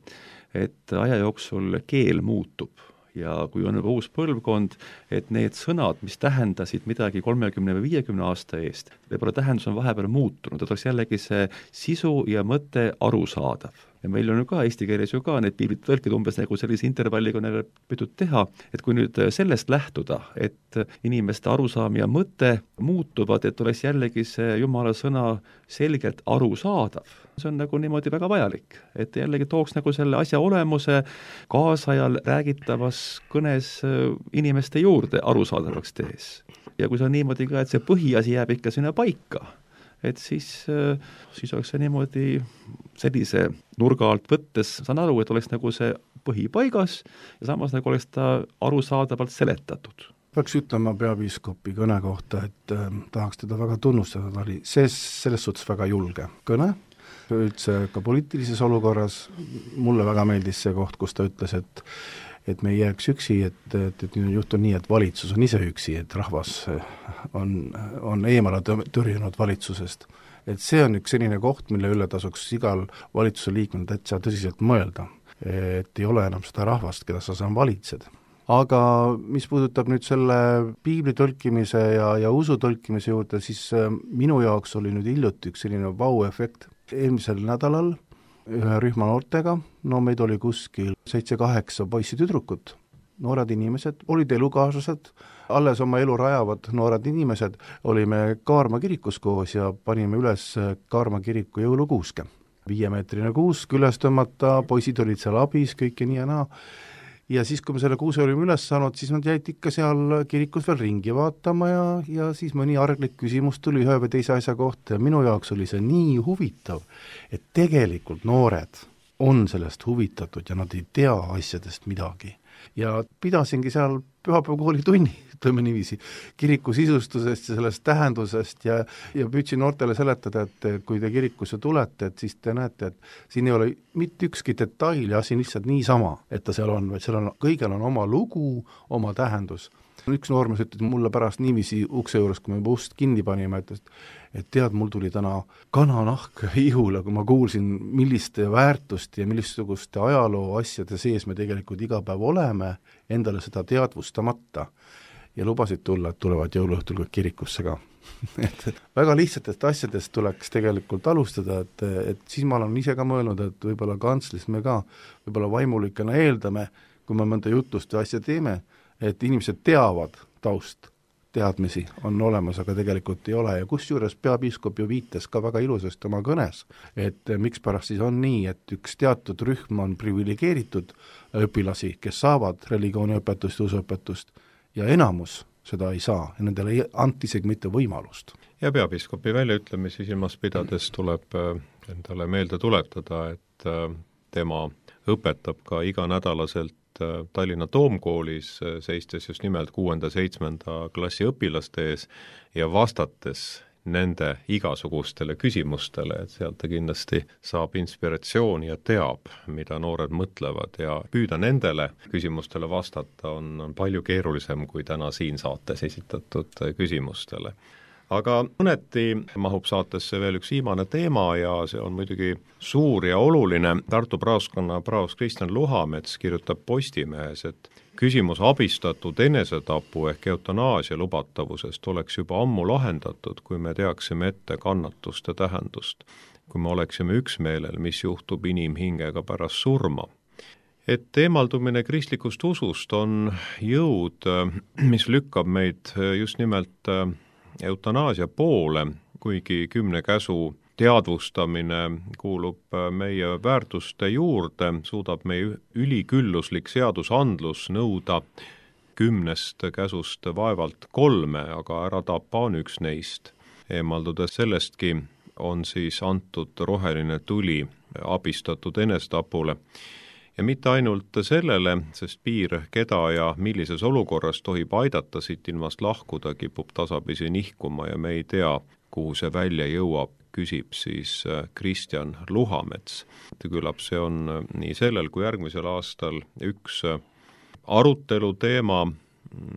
et aja jooksul keel muutub ja kui on juba uus põlvkond, et need sõnad, mis tähendasid midagi kolmekümne või viiekümne aasta eest, võib-olla tähendus on vahepeal muutunud, et oleks jällegi see sisu ja mõte arusaadav. Ja meil on ju ka eesti keeles ju ka need piiblite tõlkid umbes nagu sellise intervalliga neile püütud teha, et kui nüüd sellest lähtuda, et inimeste arusaam ja mõte muutuvad, et oleks jällegi see jumala sõna selgelt arusaadav, see on nagu niimoodi väga vajalik, et jällegi tooks nagu selle asja olemuse kaasajal räägitavas kõnes inimeste juurde arusaadavaks tees. Ja kui see on niimoodi ka, et see põhiasi jääb ikka sinna paika, et siis, siis oleks see niimoodi sellise nurga alt võttes, saan aru, et oleks nagu see põhipaigas ja samas nagu oleks ta arusaadavalt seletatud. Peaks ütlema peapiiskopi kõne kohta, et äh, tahaks teda väga tunnustada, ta oli see, selles suhtes väga julge kõne, üldse ka poliitilises olukorras. Mulle väga meeldis see koht, kus ta ütles, et et me ei jääks üksi, et, et, et nüüd juhtub nii, et valitsus on ise üksi, et rahvas on, on eemale tõrjunud valitsusest. Et see on üks selline koht, mille üle tasuks igal valitsuse liikmel täitsa tõsiselt mõelda, et ei ole enam seda rahvast, keda sa saan valitsed. Aga mis puudutab nüüd selle piibli tõlkimise ja, ja usu tõlkimise juurde, siis minu jaoks oli nüüd hiljuti üks selline vau-efekt. Eelmisel nädalal ühe rühma noortega, no meid oli kuskil seitse-kaheksa poissi-tüdrukut, noored inimesed, olid elukaaslased, alles oma elu rajavad noored inimesed, olime Kaarma kirikus koos ja panime üles Kaarma kiriku jõulukuuske. Viiemeetrine kuusk üles tõmmata, poisid olid seal abis, kõik ja nii ja naa. Ja siis, kui me selle kuuse olime üles saanud, siis nad jäid ikka seal kirikus veel ringi vaatama ja, ja siis mõni arglik küsimus tuli ühe või teise asja kohta ja minu jaoks oli see nii huvitav, et tegelikult noored on sellest huvitatud ja nad ei tea asjadest midagi. Ja pidasingi seal pühapäevakooli tunni, ütleme niiviisi, kiriku sisustusest ja sellest tähendusest ja, ja püüdsin noortele seletada, et kui te kirikusse tulete, et siis te näete, et siin ei ole mitte ükski detail ja siin lihtsalt niisama, et ta seal on, vaid seal on, kõigel on oma lugu, oma tähendus. Üks noormees ütles mulle pärast niiviisi ukse juures, kui me juba ust kinni panime, et, et tead, mul tuli täna kananahk ihule, kui ma kuulsin, milliste väärtust ja millissuguste ajaloo asjade sees me tegelikult iga päev oleme, endale seda teadvustamata ja lubasid tulla, et tulevad jõuluõhtul ka kirikusse ka. et väga lihtsatest asjadest tuleks tegelikult alustada, et, et siis ma olen ise ka mõelnud, et võib-olla kantslis me ka võib-olla vaimulikena eeldame, kui me mõnda jutust või asja teeme, et inimesed teavad taust, teadmisi on olemas, aga tegelikult ei ole ja kusjuures peapiiskop ju viitas ka väga ilusasti oma kõnes, et miks pärast siis on nii, et üks teatud rühm on priviligeeritud õpilasi, kes saavad religiooniõpetust ja usuõpetust ja enamus seda ei saa ja nendele ei anti isegi mitte võimalust. Ja peapiiskopi väljaütlemisi silmas pidades tuleb endale meelde tuletada, et tema õpetab ka iganädalaselt Tallinna Toomkoolis, seistes just nimelt kuuenda-seitsmenda klassi õpilaste ees ja vastates nende igasugustele küsimustele, et sealt ta kindlasti saab inspiratsiooni ja teab, mida noored mõtlevad ja püüda nendele küsimustele vastata on, on palju keerulisem kui täna siin saates esitatud küsimustele. Aga mõneti mahub saatesse veel üks viimane teema ja see on muidugi suur ja oluline. Tartu praoskonna praos Kristjan Luhamets kirjutab Postimehes, et küsimus abistatud enesetapu ehk eutanaasia lubatavusest oleks juba ammu lahendatud, kui me teaksime ette kannatuste tähendust, kui me oleksime üksmeelel, mis juhtub inimhingega pärast surma. Et eemaldumine kristlikust usust on jõud, mis lükkab meid just nimelt eutanaasia poole, kuigi kümne käsu teadvustamine kuulub meie väärtuste juurde, suudab meie ülikülluslik seadusandlus nõuda kümnest käsust vaevalt kolme, aga ära tapa on üks neist. Eemaldudes sellestki on siis antud roheline tuli abistatud enesetapule. Ja mitte ainult sellele, sest piir, keda ja millises olukorras tohib aidata siit ilmast lahkuda, kipub tasapisi nihkuma ja me ei tea, kuhu see välja jõuab küsib siis Kristjan Luhamets. Küllap see on nii sellel kui järgmisel aastal üks arutelu teema,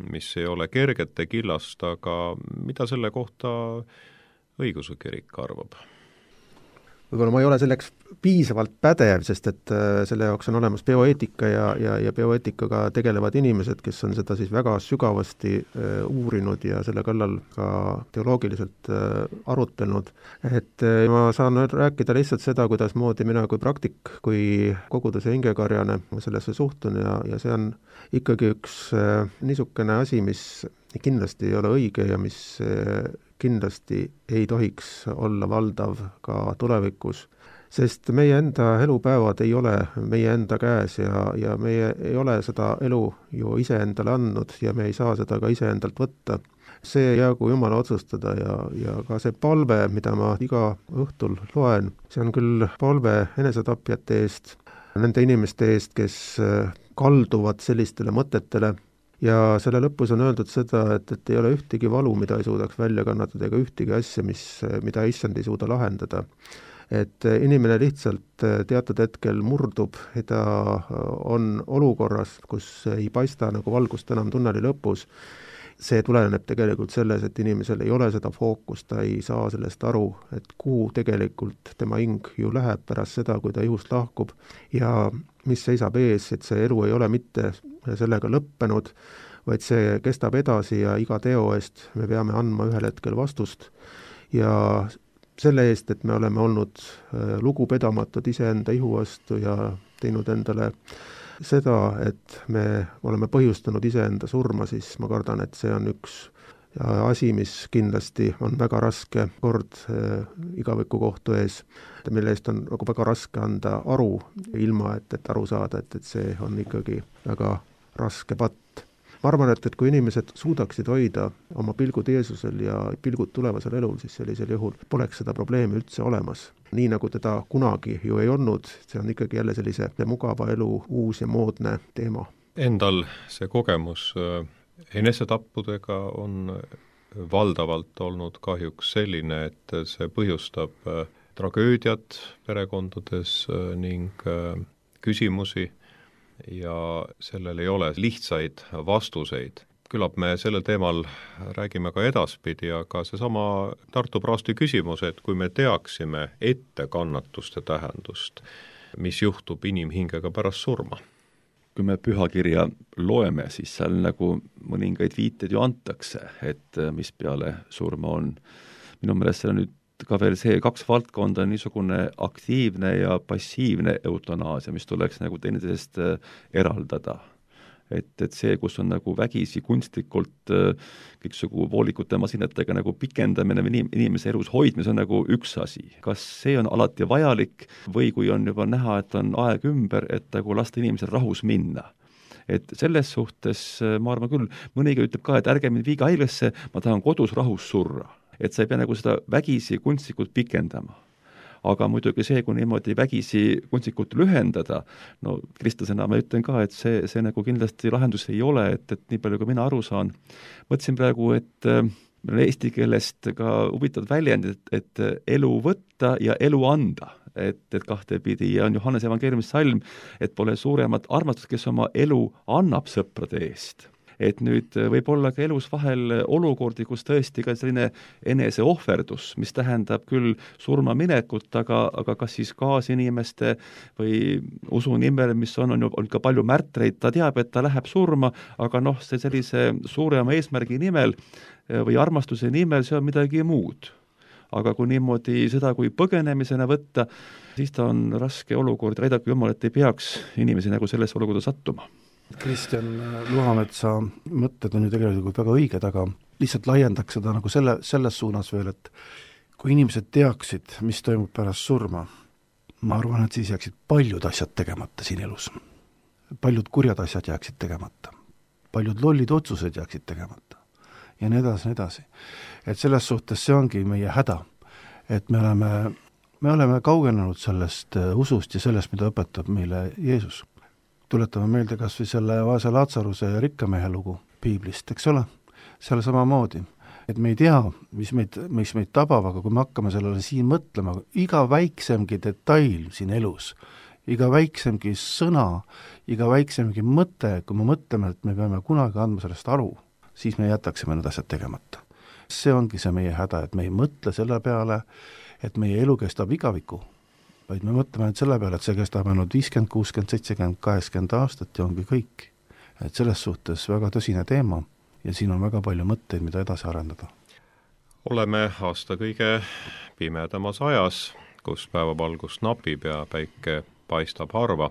mis ei ole kergete killast, aga mida selle kohta õigeusu kirik arvab? Võib-olla ma ei ole selleks piisavalt pädev, sest et selle jaoks on olemas bioeetika ja, ja, ja bioeetikaga tegelevad inimesed, kes on seda siis väga sügavasti uh, uurinud ja selle kallal ka teoloogiliselt uh, arutelnud. Et uh, ma saan rääkida lihtsalt seda, kuidas moodi mina kui praktik, kui koguduse hingekarjane sellesse suhtun ja, ja see on ikkagi üks uh, niisugune asi, mis kindlasti ei ole õige ja mis uh, kindlasti ei tohiks olla valdav ka tulevikus, sest meie enda elupäevad ei ole meie enda käes ja, ja meie ei ole seda elu ju iseendale andnud ja me ei saa seda ka iseendalt võtta. See jäägu Jumala otsustada ja, ja ka see palve, mida ma iga õhtul loen, see on küll palve enesetapjate eest, nende inimeste eest, kes kalduvad sellistele mõtetele, ja selle lõpus on öeldud seda, et, et ei ole ühtegi valu, mida ei suudaks välja kannatada, ega ühtegi asja, mis, mida issand ei suuda lahendada. Et inimene lihtsalt teatud hetkel murdub ja ta on olukorras, kus ei paista nagu valgust enam tunneli lõpus. See tuleneb tegelikult selles, et inimesel ei ole seda fookust, ta ei saa sellest aru, et kuhu tegelikult tema hing ju läheb pärast seda, kui ta ihust lahkub ja mis seisab ees, et see elu ei ole mitte sellega lõppenud, vaid see kestab edasi ja iga teo eest me peame andma ühel hetkel vastust ja selle eest, et me oleme olnud lugupidamatud iseenda ihu vastu ja teinud endale seda, et me oleme põhjustanud iseenda surma, siis ma kardan, et see on üks asi, mis kindlasti on väga raske kord äh, igaviku kohtu ees, mille eest on nagu väga raske anda aru, ilma et, et aru saada, et, et see on ikkagi väga raske patt. Ma arvan, et, et kui inimesed suudaksid hoida oma pilgud Jeesusel ja pilgud tulevasel elul, siis sellisel juhul poleks seda probleemi üldse olemas. Nii nagu teda kunagi ju ei olnud, see on ikkagi jälle sellise mugava elu uus ja moodne teema. Endal see kogemus enesetappudega on valdavalt olnud kahjuks selline, et see põhjustab tragöödiat perekondades ning küsimusi ja sellel ei ole lihtsaid vastuseid. Küllap me sellel teemal räägime ka edaspidi, aga seesama Tartu praasti küsimus, et kui me teaksime ette kannatuste tähendust, mis juhtub inimhingega pärast surma. Kui me pühakirja loeme, siis seal nagu mõningaid viited ju antakse, et mis peale surma on. Minu meelest see on nüüd ka veel see kaks valdkonda on niisugune aktiivne ja passiivne eutanaasia, mis tuleks nagu teineteisest eraldada. Et, et see, kus on nagu vägisi kunstlikult kõiksugu voolikute masinatega nagu pikendamine või inimese elus hoidmine on nagu üks asi. Kas see on alati vajalik või kui on juba näha, et on aeg ümber, et nagu lasta inimesel rahus minna? Et selles suhtes ma arvan küll, mõniga ütleb ka, et ärge mind viiga haiglasse, ma tahan kodus rahus surra. Et sa ei pea nagu seda vägisi kunstlikult pikendama. Aga muidugi see, kui niimoodi vägisi kunstlikult lühendada, no kristlasena ma ütlen ka, et see, see nagu kindlasti lahendus ei ole, et, et nii palju, kui mina aru saan. Mõtlesin praegu, et meil on eesti keelest ka huvitavad väljendid, et, et elu võtta ja elu anda. Et, et kahte pidi ja on Johannes evangeeliumis salm, et pole suuremat armastust, kes oma elu annab sõprade eest. Et nüüd võib olla ka elus vahel olukordi, kus tõesti ka selline eneseohverdus, mis tähendab küll surma minekut, aga, aga kas siis kaasinimeste või usu nimel, mis on, on, on ka palju märtreid, ta teab, et ta läheb surma, aga noh, see sellise suurema eesmärgi nimel või armastuse nimel, see on midagi muud. Aga kui niimoodi seda kui põgenemisena võtta, siis ta on raske olukord, aidake Jumal, et ei peaks inimesi nagu sellesse olukorda sattuma. Kristjan Luhametsa mõtted on ju tegelikult väga õiged, aga lihtsalt laiendaks seda nagu selle, selles suunas veel, et kui inimesed teaksid, mis toimub pärast surma, ma arvan, et siis jääksid paljud asjad tegemata siin elus. Paljud kurjad asjad jääksid tegemata. Paljud lollid otsused jääksid tegemata. Ja nii edasi, nii edasi. Et selles suhtes see ongi meie häda, et me oleme, me oleme kaugenenud sellest usust ja sellest, mida õpetab meile Jeesus. Tuletame meelde kas või selle vaese Laatsaruse ja rikkamehe lugu piiblist, eks ole? Seal samamoodi. et me ei tea, mis meid, mis meid tabab, aga kui me hakkame sellele siin mõtlema, iga väiksemgi detail siin elus, iga väiksemgi sõna, iga väiksemgi mõte, kui me mõtleme, et me peame kunagi andma sellest aru, siis me jätaksime need asjad tegemata. See ongi see meie häda, et me ei mõtle selle peale, et meie elu kestab igaviku, vaid me mõtleme nüüd selle peale, et see kestab ainult viiskümmend, kuuskümmend, seitsekümmend, kaheksakümmend aastat ja ongi kõik. Et selles suhtes väga tõsine teema ja siin on väga palju mõtteid, mida edasi arendada. Oleme aasta kõige pimedamas ajas, kus päevavalgus napib ja päike paistab harva.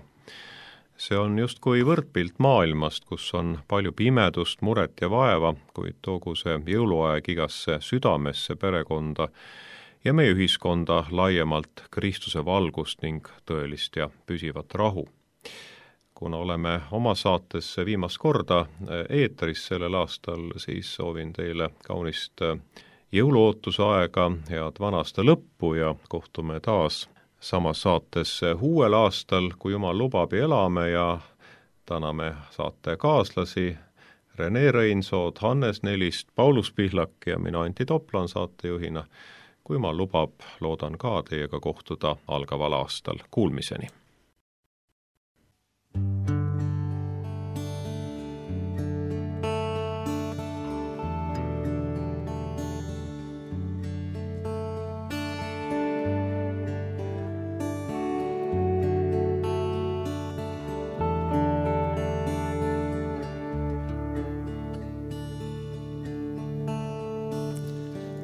See on justkui võrdpilt maailmast, kus on palju pimedust, muret ja vaeva, kuid toogu see jõuluaeg igasse südamesse, perekonda ja meie ühiskonda laiemalt Kristuse valgust ning tõelist ja püsivat rahu. Kuna oleme oma saates viimast korda eetris sellel aastal, siis soovin teile kaunist jõuluootuse aega, head vanaasta lõppu ja kohtume taas samas saates uuel aastal, kui Jumal lubab ja elame ja täname saate kaaslasi Rene Reinsood, Hannes Nelist, Paulus Pihlak ja mina Antti Toplan saatejuhina. Kui Jumal lubab, loodan ka teiega kohtuda algaval aastal. Kuulmiseni!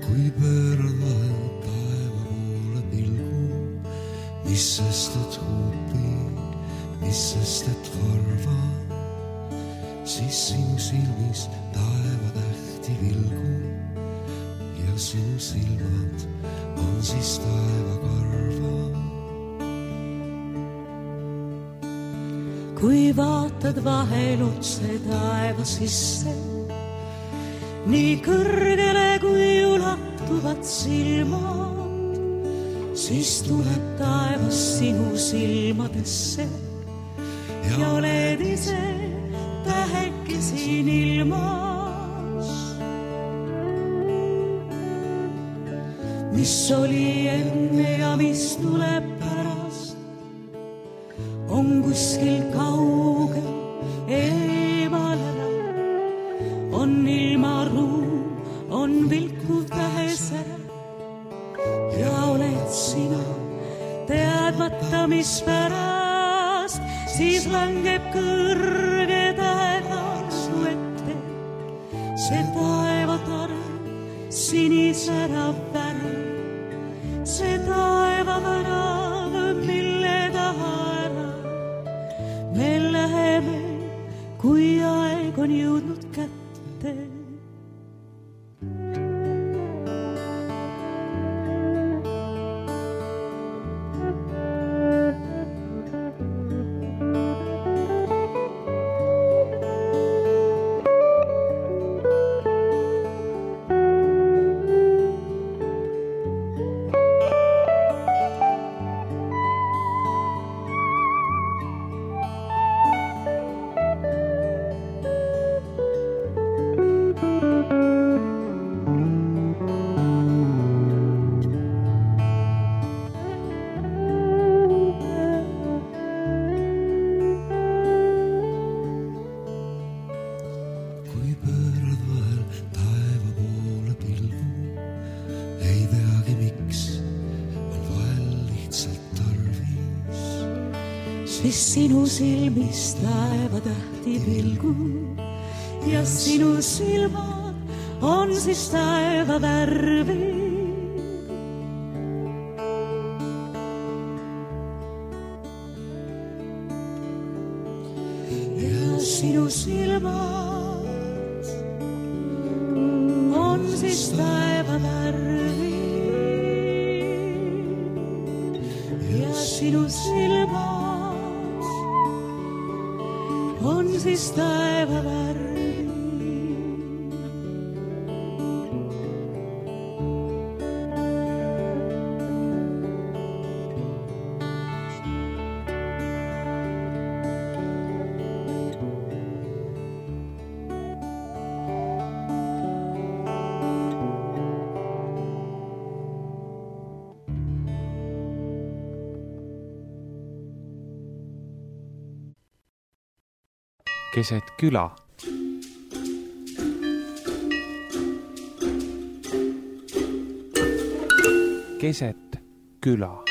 Kui pöörad vahel taeva poole pilgu, mis sest et huupi, mis sest et harva, siis sinu silmis taeva tähti vilgu ja sinu silmad on siis taeva karva. Kui vaatad vahel otse taeva sisse, nii kõrgele kui ulatuvad silmad, siis tuleb taevas sinu silmadesse ja oled ise täheke siin ilmas. Mis oli enne ja mis tuleb pärast, on kuskil kaugel eemal ära. On ilmaruum, on vilkuv tähesära ja oled sina teadmata, mis pärast, siis langeb kõrge taeva su ette. See taevatare sinisärav värav, see taevavärav, mille taha ära me läheme, kui aeg on jõudnud kätte. Siis sinu silmis taeva tähti vilgu ja sinu silmad on siis taeva värvi. Ja sinu silmad on siis taeva värvi. Ja sinu silmad on siis taeva värvi. keset küla. keset küla.